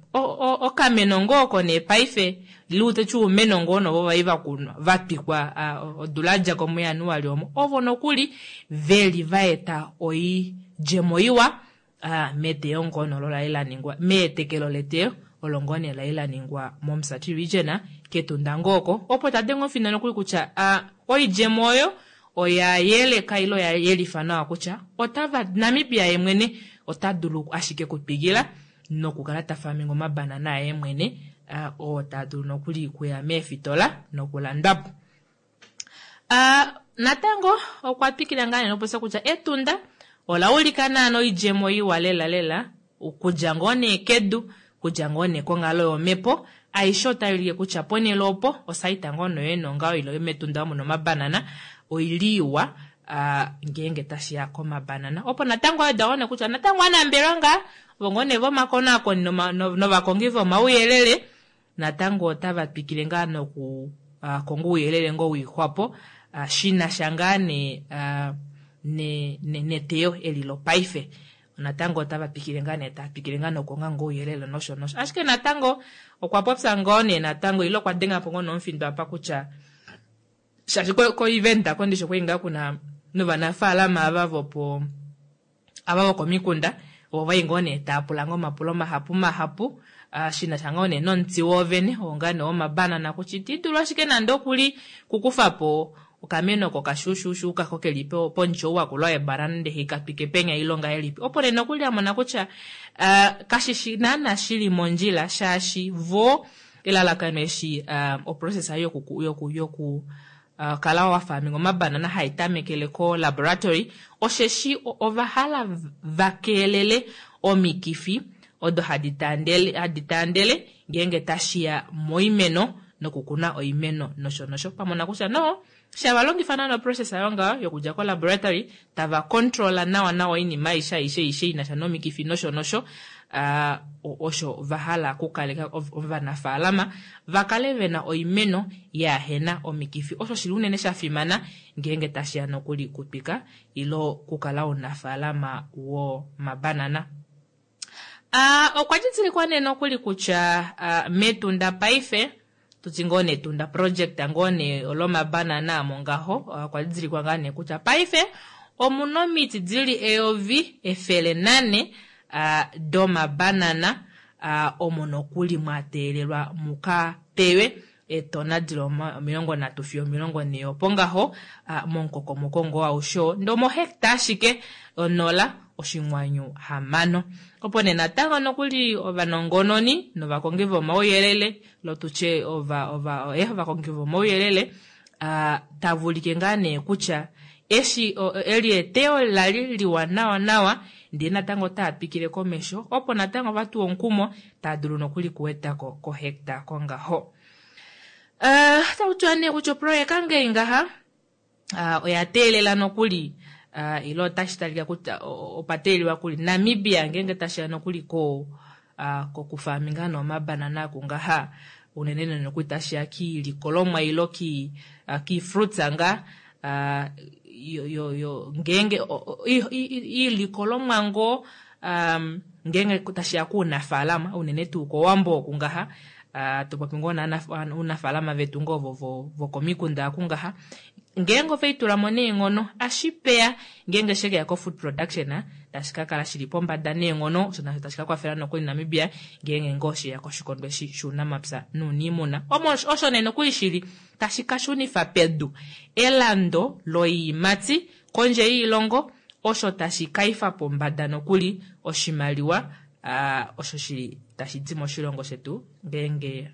okameno ngoo oko nee paife liuteti oumeno ngoo novo vai vakunwa vatwikwa uh, odula ya djako muJanuali omo ovo nokuli veli vaeta oidjemo iwa uh, meteyo ngoo nolo lali laningwa meetekelo leteyo olo ngoo nee lali laningwa mOmusati region kEtunda ngoo oko opo tadenge omufindo nokuli kutya uh, oidjemo oyo oya yeleka ile oya yelifa nawa kutya otava Namibia ye mwene ota dulu ashike kutwikila nokukala ta faminga omabanana aye mwene uh, oo taa dulu nokuli kuya meefitola nokulandwa po. Uh, natango okwa twikila ngaa nee nokupopya kutya Etunda ola ulika naana oidjemo iwa lela lela okudja ngoo nee kedu kudja ngoo nee konghalo yomhepo aishe otai ulike kutya ponhele opo osaita ngoo noyo nongaho ile metunda omu nomabanana oili iwa uh, ngeenge tashiya komabanana opo natango aweda ngoo nee kutya natango anambelwa ngaa ovo ngoo nee vomakonaakoni novakongi vomauyelele natango otava twikile ngaa noku uh, konga ouyelele ngoo wiixwapo uh, shina sha ngaa nee uh, neteyo eli lopaife natango otava twikile ngaa nee taa twikile ngaa nokukonga ngoo ouyelele nosho nosho ashike natango okwa popya ngoo nee natango ile okwa denga po ngoo nomufindo apa kutya shaashi ko-event ko ndishi okwali ngaa kuna novanafaalama ava vopo ava vokomikunda ovo vai ngoo nee taa pula ngoo omapulo mahapu mahapu uh, shina sha ngoo nee nomuti woovene oo ngaa nee womabanana kutya iti dulu ashike nande okuli kukufa po okameno oko kashuushuushu kako keli pomuti ou wakula webanana ndele hikatwike penya ile ongahelipi opo nee nokuli amona kutya uh, kashishi naana shili mondjila shaashi vo elalakano eshi uh, oprocess yoku yoku yoku uh, kala wa farming omabanana hai tamekele ko laboratory osheshi ova hala va keelele omikifi odo hadi taandele hadi taandele ngeenge tashiya moimeno nokukuna oimeno nosho nosho pamona kutya no shava longifa naana oprocess ayo ngaho yokudja ko laboratory tava controla nawa nawa oinima aishe aishe aishe inasha nomikifi nosho nosho uh, osho va hala okukaleka ovanafaalama va kale vena oimeno yaahena omikifi osho shili unene sha fimana ngeenge tashiya nokuli kutwika ile okukala omunafaalama womabanana. Uh, okwa didilikwa nee nokuli kutya uh, mEtunda paife tuti ngoo nee Etunda project ngoo nee lomabanana amo ngaho okwa didilikwa ngaa nee kutya paife omuna omiti dili 1400 uh, domabanana uh, omo nokuli mwa teelelwa muka teywe eetona dili 30 fiyo 40 opo ngaho uh, momukokomoko ngoo aushe oo ndee omohecta ashike 0.6 opo nee natango nokuli ovanongononi novakongi vomauyelele lotutye ova ova eh, ovakongi vomauyelele uh, tava ulike ngaa nee kutya eshi eli eteyo lali liwa nawa nawa ndee natango otaa twikile komesho opo natango vatuwa omukumo taa dulu nokuli kuwedako kohecta kongaho. Uh, tautiwa nee kutya oproyeka ngei ngaha uh, oya teelela nokuli uh, ile otashi talika kutya opa teelelwa kuli Namibia ngeenge tashiya nokuli ko uh, kokufaminga nomabanana akungaha unene nokuli tashiya kiilikolomwa ile ki uh, kiifruits nga uh, yo, yo, yo ngeenge iilikolomwa ngoo um, ngeenge tashiya kuunafaalama unene tuu kOwambo oku ngaha To popi ngoo ounafaalama vetu ngoo ovo vokomikunda aku ngaha, ngeenge ove itula mo neenghono ashipeya ngeenge shekeya ko-food production tashi ka kala shili pombada neenghono, osho nasho tashi ka kwafela nokuli Namibia ngeenge ngoo sheya koshikondo eshi shuunamapya nuuniimuna. Omo osho nee nokuli shili tashi ka shunifa pedu elando loiimati kondje yiilongo, osho tashi ka ifa pombada nokuli oshimaliwa osho shili tashi di moshilongo shetu ngeenge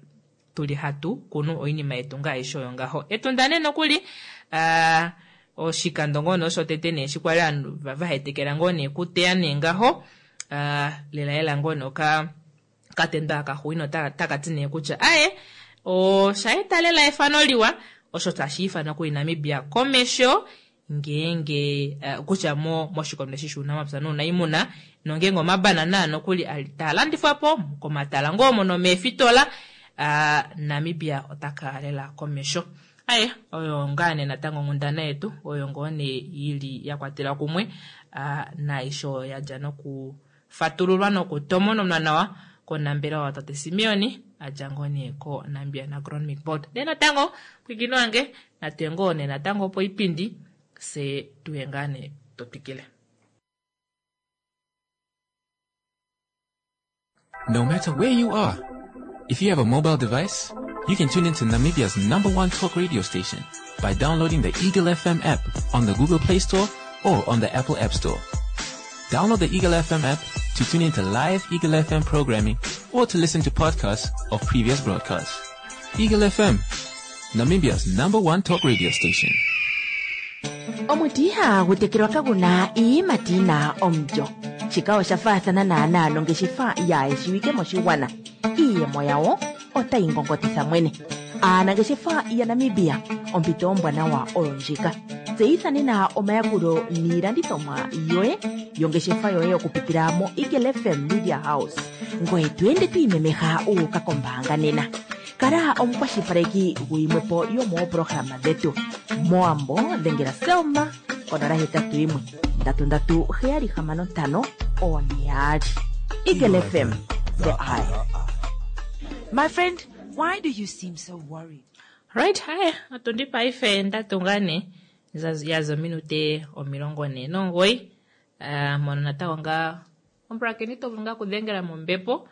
tuli hatu kunu oinima yetu ngaashi oyo ngaho. Etunda nee nokuli oshikando ngoo nee osho tete nee eshi kwali ovanhu vahetekela ngoo nee okuteya nee ngaho, lela lela ngoo nee oka katendo aka xuuninwa otaka ti nee kutya aye osha eta lela efano liwa osho tashi ifanwa kuli Namibia komesho ngeenge kutya mo moshikondo eshi shuunamapya nuunaimuna nongeenge omabanana nokuli taa landifwa po komatala ngoo omo nomeefitola, Namibia ota kala lela komesho. Aye oyo ngaa nee natango onghundana yetu oyo ngoo nee ili ya kwatelwa kumwe naaisho oyo ya dja noku fatululwa nokutomononwa nawa konambelewa watate Simeon a dja ngoo nee koNamibia Agronomic Board. Ndee natango pwiikino wange natuye ngoo nee natango poipindi fye tuye ngaa nee to twikile. No matter where you are, if you have a mobile device, you can tune into Namibia's number one talk radio station by downloading the Eagle FM app on the Google Play Store or on the Apple App Store. Download the Eagle FM app to tune into live Eagle FM programming or to listen to podcasts of previous broadcasts. Eagle FM, Namibia's number one talk radio station. Omuti ihagu tekelwa kagu na iiyimati yi na omulyo. Shika osha faathana naanaa nongeshefa yaayeshiwike moshigwana. Iiyemo yawo otayi ngongotitha mwene. Aanangeshefa yaNamibia, ompito ombwanawa oyo ndjika. Tseyitha nena omayakulo niilandithomwa yoye yongeshefa yoye okupitila moEagle FM Media House. Ngoye to ende to imemeha wu uka kombaanga nena. Kala omukwashilipaleki guyimwe po yomoopolohalama dhetu. Mowambo dhengela Selma konola 81 3 3 7 6 4 2. Eagle FM, the eye. My friend, why do you seem so worried? Right, hi, otundi paife ndatunga ne yaza ominute 49 mono natango ngaa omupulakeni to vulu ngaa okudhengela mombepo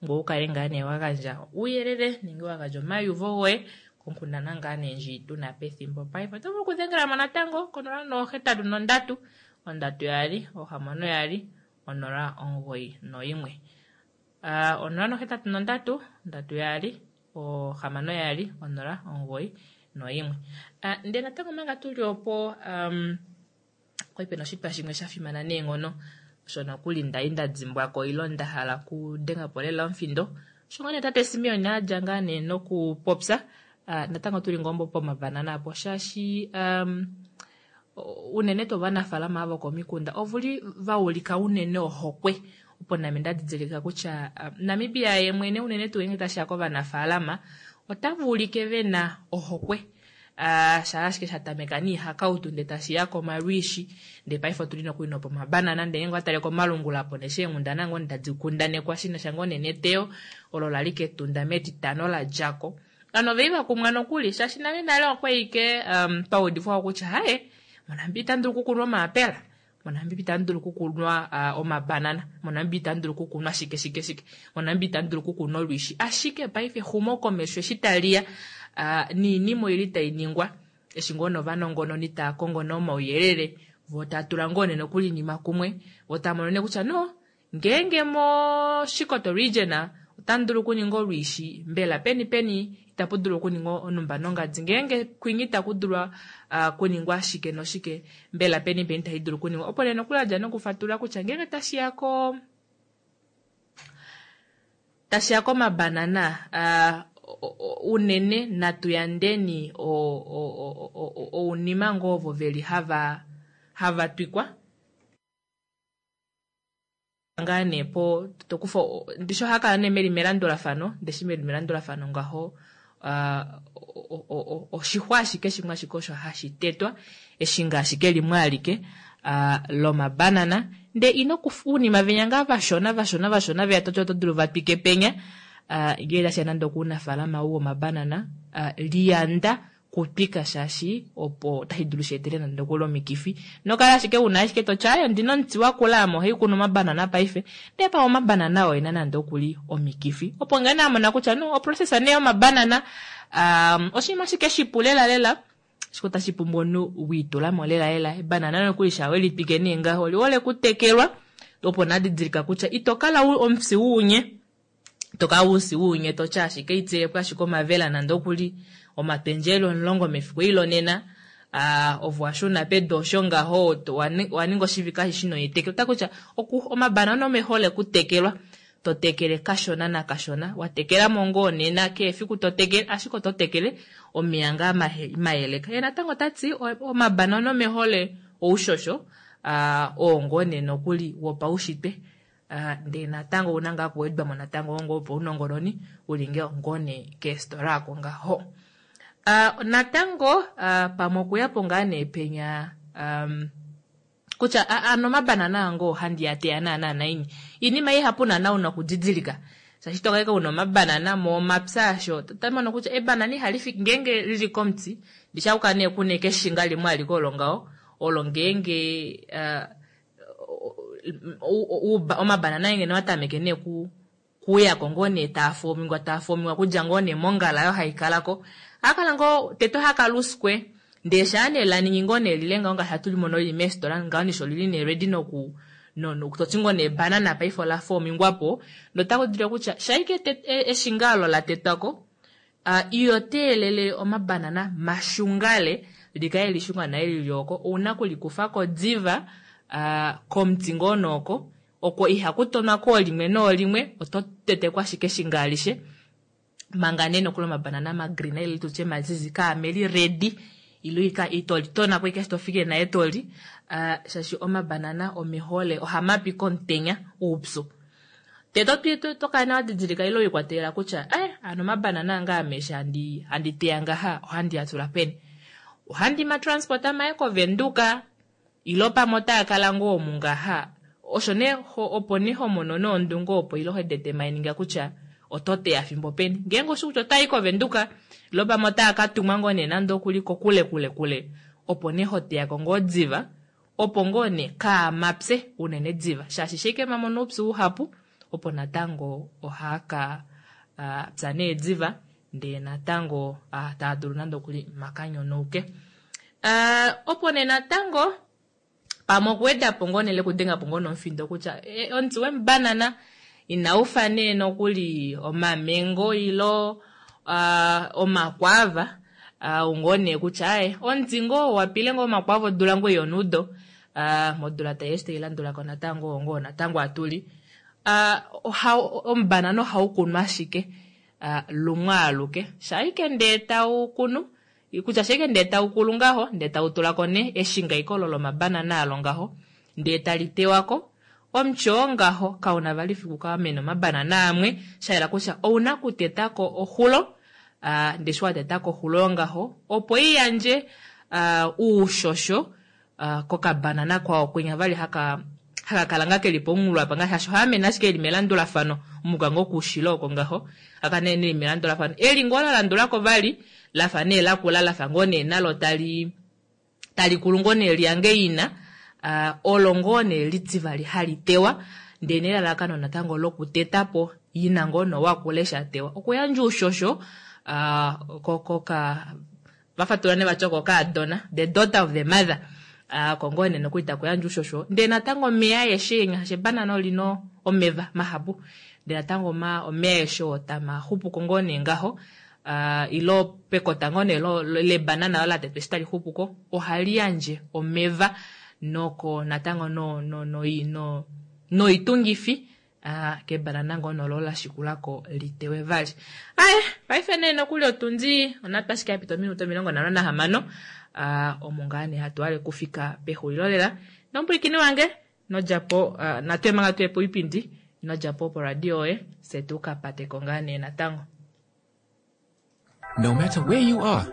ngoye wu kale ngaa nee wa gandja uuyelele nenge wa gandja omaiyuvo goye konkundana ngaa nee ndji tu na pethimbo paife. Oto vulu okudhengela mo natango konola nohetatu nondatu ondatu yaali ohamano yaali onola omugoyi noyimwe. 0 nohetatu nondatu ondatu yaali ohamano yaali onola omugoyi noyimwe. Ndele natango omanga tuli opo um, kwali pena oshitwa shimwe sha fimana neenghono osho nokuli ndali nda dimbwako ilo nda hala okudenga po lela omufindo. Osho ngoo nee tate Simeon a dja ngaa nee nokupopya natango tuli ngoo pomabanana apo shaashi um, unene tuu ovanafaalama ava vokomikunda ovuli va ulika unene ohokwe opo name nda didilika kutya Namibia ye mwene unene tuu ngeenge tashiya kovanafaalama otava ulike vena ohokwe shaa ashike sha tameka niihakautu ndee tashiya komalwiishi ndee paife otuli nokuli nopomabanana ndee ngeenge owa tale komalungula apo neshi eenghundana ngoo tadi kundanekwa shinasha ngoo nee neteyo olo lali kEtunda metitano la djako. Ovanhu oveli vakumwa nokuli shaashi nale nale okwali ike um, twa udifwa kutya haye moNamibia itamu dulu okukunwa omaapela, moNamibia itamu dulu okukunwa uh, omabanana, moNamibia itamu dulu okukunwa shike shike shike, moNamibia itamu dulu okukunwa olwiishi. Ashike paife exumokomesho eshi tali ya uh, niinima oili tai ningwa eshi ngoo novanongononi taa kongo nee omauyelele voo taa tula ngoo nee nokuli oinima kumwe voo taa mono nee kutya no Ngeenge mOshikoto Region otamu dulu okuninga olwiishi, mbela peni peni itapu dulu okuningwa onhumba nongadi? Ngeenge kwinyi itaku dulwa kuningwa shike noshike, mbela peni peni itashi dulu okuningwa? Opo nee nokuli a dja nokufatulula kutya ngeenge tashi ya ko tashi ya komabanana unene natu yandeni ounima ngoo ovo ve li hava hava twikwa. Ngaa nee po to kufa ndishi ohaa kala nee meli melandulafano ndeshi meli melandulafano ngaho oshixwa ashike shimwe ashike osho hashi tetwa eshi ngaa ashike limwe alike lomabanana ndee ino kufa uunima venya ngaa vashona vashona vashona veya toti oto dulu va twike penya. Uh, ngee tashiya nande okuunafaalama ou womabanana, uh, liyanda kutwika shaashi opo otashi dulu shi etele nande okuli omikifi. Nokala ashike una ashike toti aye ondina omuti wakula ame ohai kunu omabanana paife, ndee pamwe omabanana oo ena nande okuli omikifi. Opo ngee nee amona kutya no oprocess nee yomabanana um, oshinima ashike shipu lela lela, ashike otashi pumbwa omunhu wiitulamo lela lela. Ebanana nokuli shaa welitwike nee ngaho olihole kutekelwa, opo nadidilika kutya ito kala omufyi wuunye. To kala usi wuunye toti ashike itilepo ashike omavela nande okuli omapendjelo 10 mefiku ilo nena, ovo washuna pedu osho ngaho waninga oshivike ashishe ino itekela. Ota kutya omabanana omehole kutekelwa, to tekele kashona nakashona, watekelamo ngoo nena kehe efiku to tekele, ashike oto tekele omeya ngaa mayeleka. Ye natango otati omabanana omehole oushosho, oo ngoo nee nokuli wopaushitwe, ndee natango ouna ngaa okuwedwamo natango ngoo paunongononi uli ngoo nee keestola ako ngaho. Natango pamwe okuyapo ngaa nee penya kutya ano omabanana ango ohandi ya teya naana naini. Iinima ihapu naana una okudidilika. Shaashi tokaika una omabanana momapya asho, otamono kutya ebanana ihali fiki ngeenge lili komuti, ndisha kuka nee kuna ekeshinga limwe aliko olo ngaho, olo ngeenge omabanana ngeno watameke nee kuyako ngoo nee taafomingwa, taafomingwa kudja ngoo nee mongala oyo haikalako. Ohakala ngoo tete ohakala uskwe, ndee shaa nee laningi ngoo nee lile ngaho ngaashi hatu limono lili meestola ngaho nisho lili nee ready noku no, toti ngoo nee banana paife ola fomingwapo, notaku dulu kutya shaike eshinga olo la tetwako, iyo teelele omabanana mashungale, likale lishunga naye lili oko, ouna kulikufako diva komuti ngoo nooko, oko ihaku tonwa koolimwe noolimwe, oto tetekwa ashike eshinga alishe, manga nee nokuli omabanana magreen ile tutye mazizi kaameli ready, ilo ito litonako ashike to fikile naye toli, shaashi omabanana omehole ohamapi komutenya oupyu. Tete tokala nawa didilika ilo ikwatelela kutya ano omabanana anga ame eshi handi teya ngaha ohandi a tula peni, ohandi ma transport maye koVenduka ilo pamwe otaa kala ngoo omu ngaha. Osho nee opo nee homono noondunge opo ilo hedete maininga kutya oto teya fimbo peni, ngeenge oshi kutya otai koVenduka ilo pamwe otaa ka tumwa ngoo nee nande okuli kokule kule kule, opo nee hoteyako ngoo diva, opo ngoo nee kaamapye unene diva, shaashi shike mamono oupyu uhapu, opo natango ohaaka pya nee diva, ndee natango taa dulu nande okuli makanyonouke. Opo nee natango pamwe okuwedapo ngoo nee lekudengapo ngoo nomufindo kutya omuti wemubanana inaufa nee nokuli omamengo ilo omakwava, ngoo nee kutya aye omuti ngoo wapile ngoo omakwava odula ngoo yonudo, modula tai eshi tailandulako natango ngoo natango atuli. Omubanana ohau kunwa ashike lumwe aluke, shaike ndee tau kunu, kutya shaike ndee tau kulu ngaho, ndee tau tulako nee eshinga iko olo lomabanana alo ngaho, ndee tali tewako, omuti oo ngaho kauna vali fiku kamena omabanana amwe, shayela kutya ouna kutetako oxulo, ndee eshi watetako oxulo ngaho, opo iyandje uushosho kokabanana kwao kwinya vali haka kala nga keli pomunghulo apa ngaashi shaashi ohaamene ashike eli melandulafano, omuka ngoo koushilo oko ngaho, haka nee eli melandulafano, eli ngoo la landulako vali, lafa nee lakula, lafa ngoo nee nalo tali kulu ngoo nee liyange ina, olo ngoo nee litivali hali tewa, ndee nelalakano natango lokutetapo ina ngoo no wakula eshi atewa, okuyandja oushosho koka vafatula ne vati oko kaadona, the daughter of the mother, oko ngoo nee nokuli takuyandja oushosho, ndee natango omeya aeshe ngaashi ebanana olina omeva mahapu, ndee natango omeya aeshe oo tamaxupuko ngoo nee ngaho, ilo pekota ngoo nee lebanana olo latetwa eshi tali xupuko, ohali yandje omeva noko natango noitungifi kebanana ngoo nolo lashikulako litewe vali. Aye, paife nee nokuli otundi onatu ashike yapita ominute 56, omo ngaa nee hatu hale kufika pexulilo lela. Nomupwilikini wange nodjapo, natu manga tuye poipindi, nodjapo poradio yoye, fye tukapateko ngaa nee natango. No matter where you are,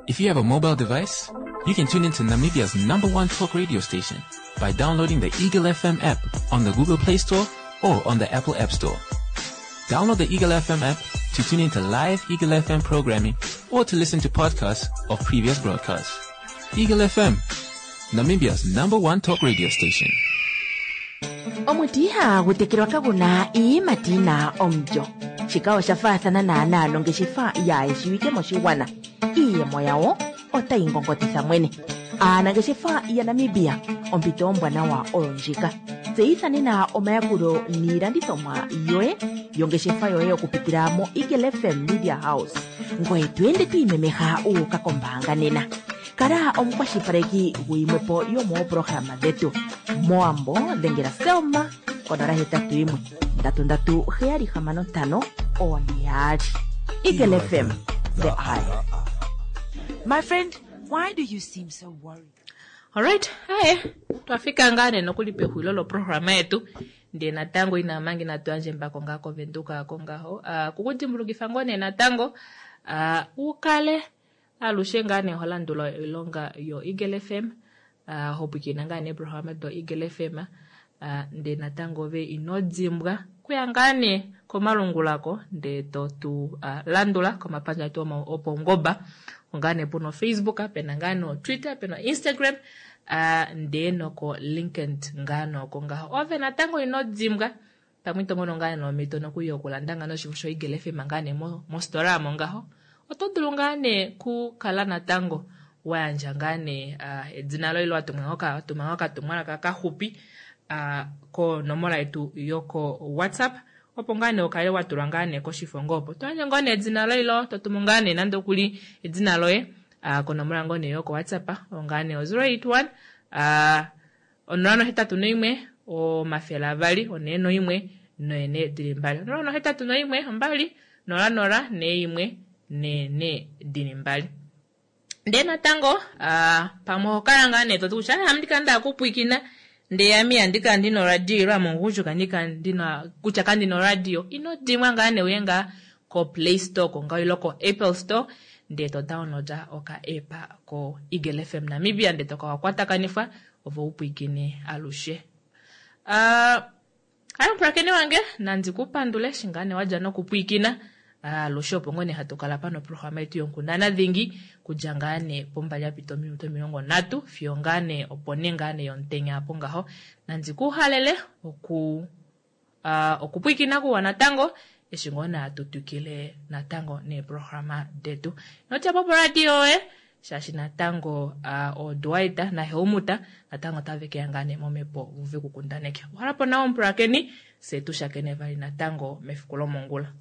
if you have a mobile device, you can tune into Namibia's #1 talk radio station by downloading the Eagle FM app on the Google Play Store or on the Apple App Store. Download the Eagle FM app to tune into live Eagle FM programming or to listen to podcasts of previous broadcasts. Eagle FM, Namibia's number one talk radio station. Omuti ihagu tekelwa kagu na iiyimati yi na omulyo. Shika osha faathana naanaa nongeshefa yaayeshiwike moshigwana. Iiyemo yawo otayi ngongotitha mwene. Aanangeshefa yaNamibia, ompito ombwanawa oyo ndjika. Tseyitha nena omayakulo niilandithomwa yoye yongeshefa yoye okupitila moEagle FM Media House. Ngoye to ende to imemeha wu uka kombaanga nena. Kala omukwashilipaleki guyimwepo yomooprograma dhetu. Mowambo dhengela Selma ko 081 337 65 42. Eagle FM, the eye. My friend, why do you seem so worried? Alright, haye twafika ngaa nee nokuli pexulilo loprograma yetu ndee natango ina manga inatu yandja embako ngaa kovenduka ako ngaho. Uh, kukudimbulukifa ngoo nee natango uh, ukale alushe ngaa nee ho landula oilonga yoEagle FM, uh, ho pwiikina ngaa nee eeprograma doEagle FM, uh, ndee natango ove ino dimbwa kuya ngaa nee komalungula ko ndee to tu uh, landula komapandja etu opaungoba ngaa nee puna oFacebook, pena ngaa nee oTwitter, pena oInstagram, uh, ndee noko LinkedIn ngaa nooko ngaho. Ove natango ino dimbwa pamwe ito mono ngaa nee omhito nokuli yokulanda ngaa nee oshifo shoEagle FM ngaa nee mositola omo ngaho. Oto dulu ngaa nee ku kala natango wa yandja ngaa nee uh, edina loye ile wa tuma ngoo okatumwalaka kaxupi uh, konomola yetu yoko WhatsApp opo ngaa nee ukale wa tulwa ngaa nee koshifo ngoo opo to yandje ngoo nee edina loye ilo to tumu ngaa nee nande okuli edina loye uh, konomola ngoo nee yoko WhatsApp oyo ngaa nee o 081 uh, 081 200 41 noene dili mbali 081 2 00 41 nene dili mbali. Ndee natango uh, pamwe oho kala ngaa nee toti kutya ame ndikala nda kupwikina ndee ame ihandi kala ndina oradio ile ame omugundjuka ndikala ndina kutya kandina oradio ino dimwa ngaa nee uye ngaa ko Play Store ko ngaho ile ko Apple Store ndee to downloada oka app ko Eagle FM Namibia ndee toka wakwatakanifwa ove upwikine alushe. Uh, Hayi omupulakeni wange, nandi ku pandule eshi ngaa nee wadja nokupwiikina alushe opo ngoo nee hatu kala pano programa yetu yonkundana dhingi kudja ngaa nee pombali yapita ominute 30 fiyo ngaa nee opo ne ngaa nee yomutenya apo ngaho. Nandi ku halele oku uh, okupwiikina kuwa natango eshi ngoo nee hatu twikile natango neeprograma detu. Ino dja po poradio yoye shaashi natango uh, ooDwight naHeumuta natango otave ke ya ngaa nee momhepo vove ku kundaneke. Uhala po nawa omupulakeni, fye tu shakene vali natango mefiku lomongula.